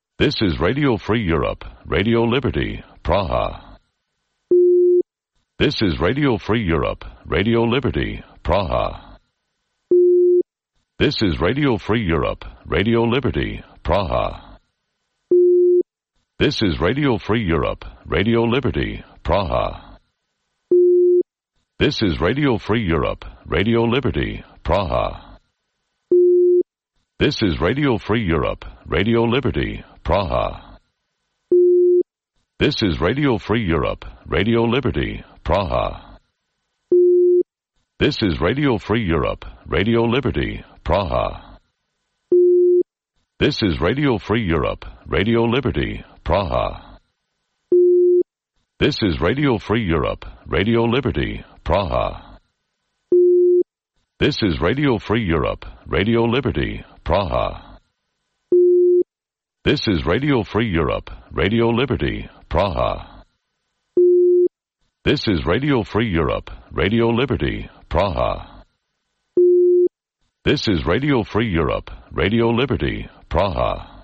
This is Radio Free Europe, Radio Liberty, Praha. This is Radio Free Europe, Radio Liberty, Praha. This is Radio Free Europe, Radio Liberty, Praha. This is Radio Free Europe, Radio Liberty, Praha. This is Radio Free Europe, Radio Liberty, Praha. This is Radio Free Europe, Radio Liberty, Praha. This is Radio Free Europe, Radio Liberty, Praha. This is Radio Free Europe, Radio Liberty, Praha. This is Radio Free Europe, Radio Liberty, Praha. This is Radio Free Europe, Radio Liberty, Praha. This is Radio Free Europe, Radio Liberty, Praha. This is Radio Free Europe, Radio Liberty, Praha. This is Radio Free Europe, Radio Liberty, Praha. This is Radio Free Europe, Radio Liberty, Praha.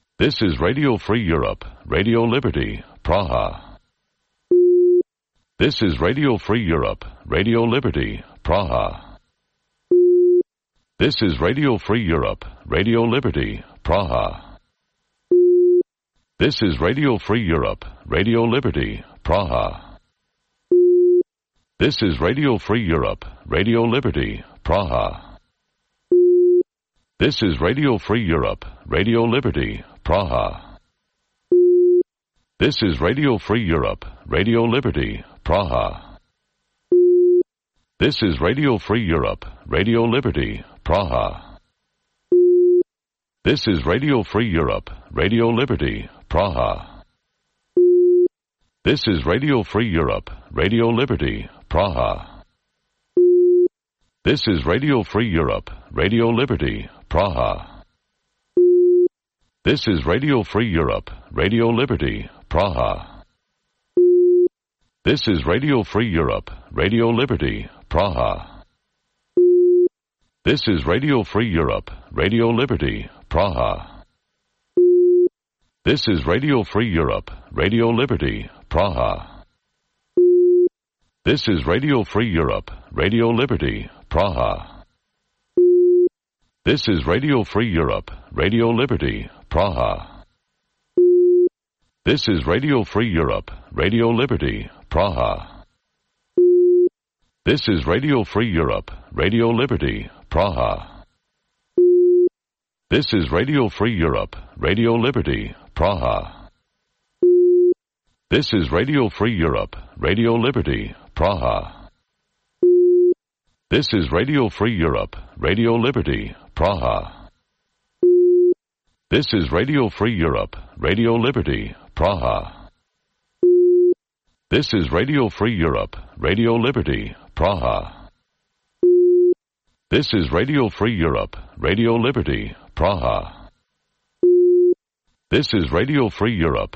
This is Radio Free Europe, Radio Liberty, Praha. This is Radio Free Europe, Radio Liberty, Praha. This is Radio Free Europe, Radio Liberty, Praha. This is Radio Free Europe, Radio Liberty, Praha. This is Radio Free Europe, Radio Liberty, Praha. This is Radio Free Europe, Radio Liberty, Praha. This is Radio Free Europe, Radio Liberty, Praha. This is Radio Free Europe, Radio Liberty, Praha. This is Radio Free Europe, Radio Liberty, Praha. This is Radio Free Europe, Radio Liberty, Praha. This is Radio Free Europe, Radio Liberty, Praha. This is Radio Free Europe, Radio Liberty, Praha. This is Radio Free Europe, Radio Liberty, Praha. This is Radio Free Europe, Radio Liberty, Praha. This is Radio Free Europe, Radio Liberty, Praha. This is Radio Free Europe, Radio Liberty, Praha. This is Radio Free Europe, Radio Liberty, Praha. This is Radio Free Europe, Radio Liberty, Praha. This is Radio Free Europe, Radio Liberty, Praha. This is Radio Free Europe, Radio Liberty, Praha. This is Radio Free Europe, Radio Liberty, Praha. This is Radio Free Europe, Radio Liberty, Praha. This is Radio Free Europe, Radio Liberty, Praha. This is Radio Free Europe, Radio Liberty, Praha. This is Radio Free Europe, Radio Liberty, Praha. This is Radio Free Europe,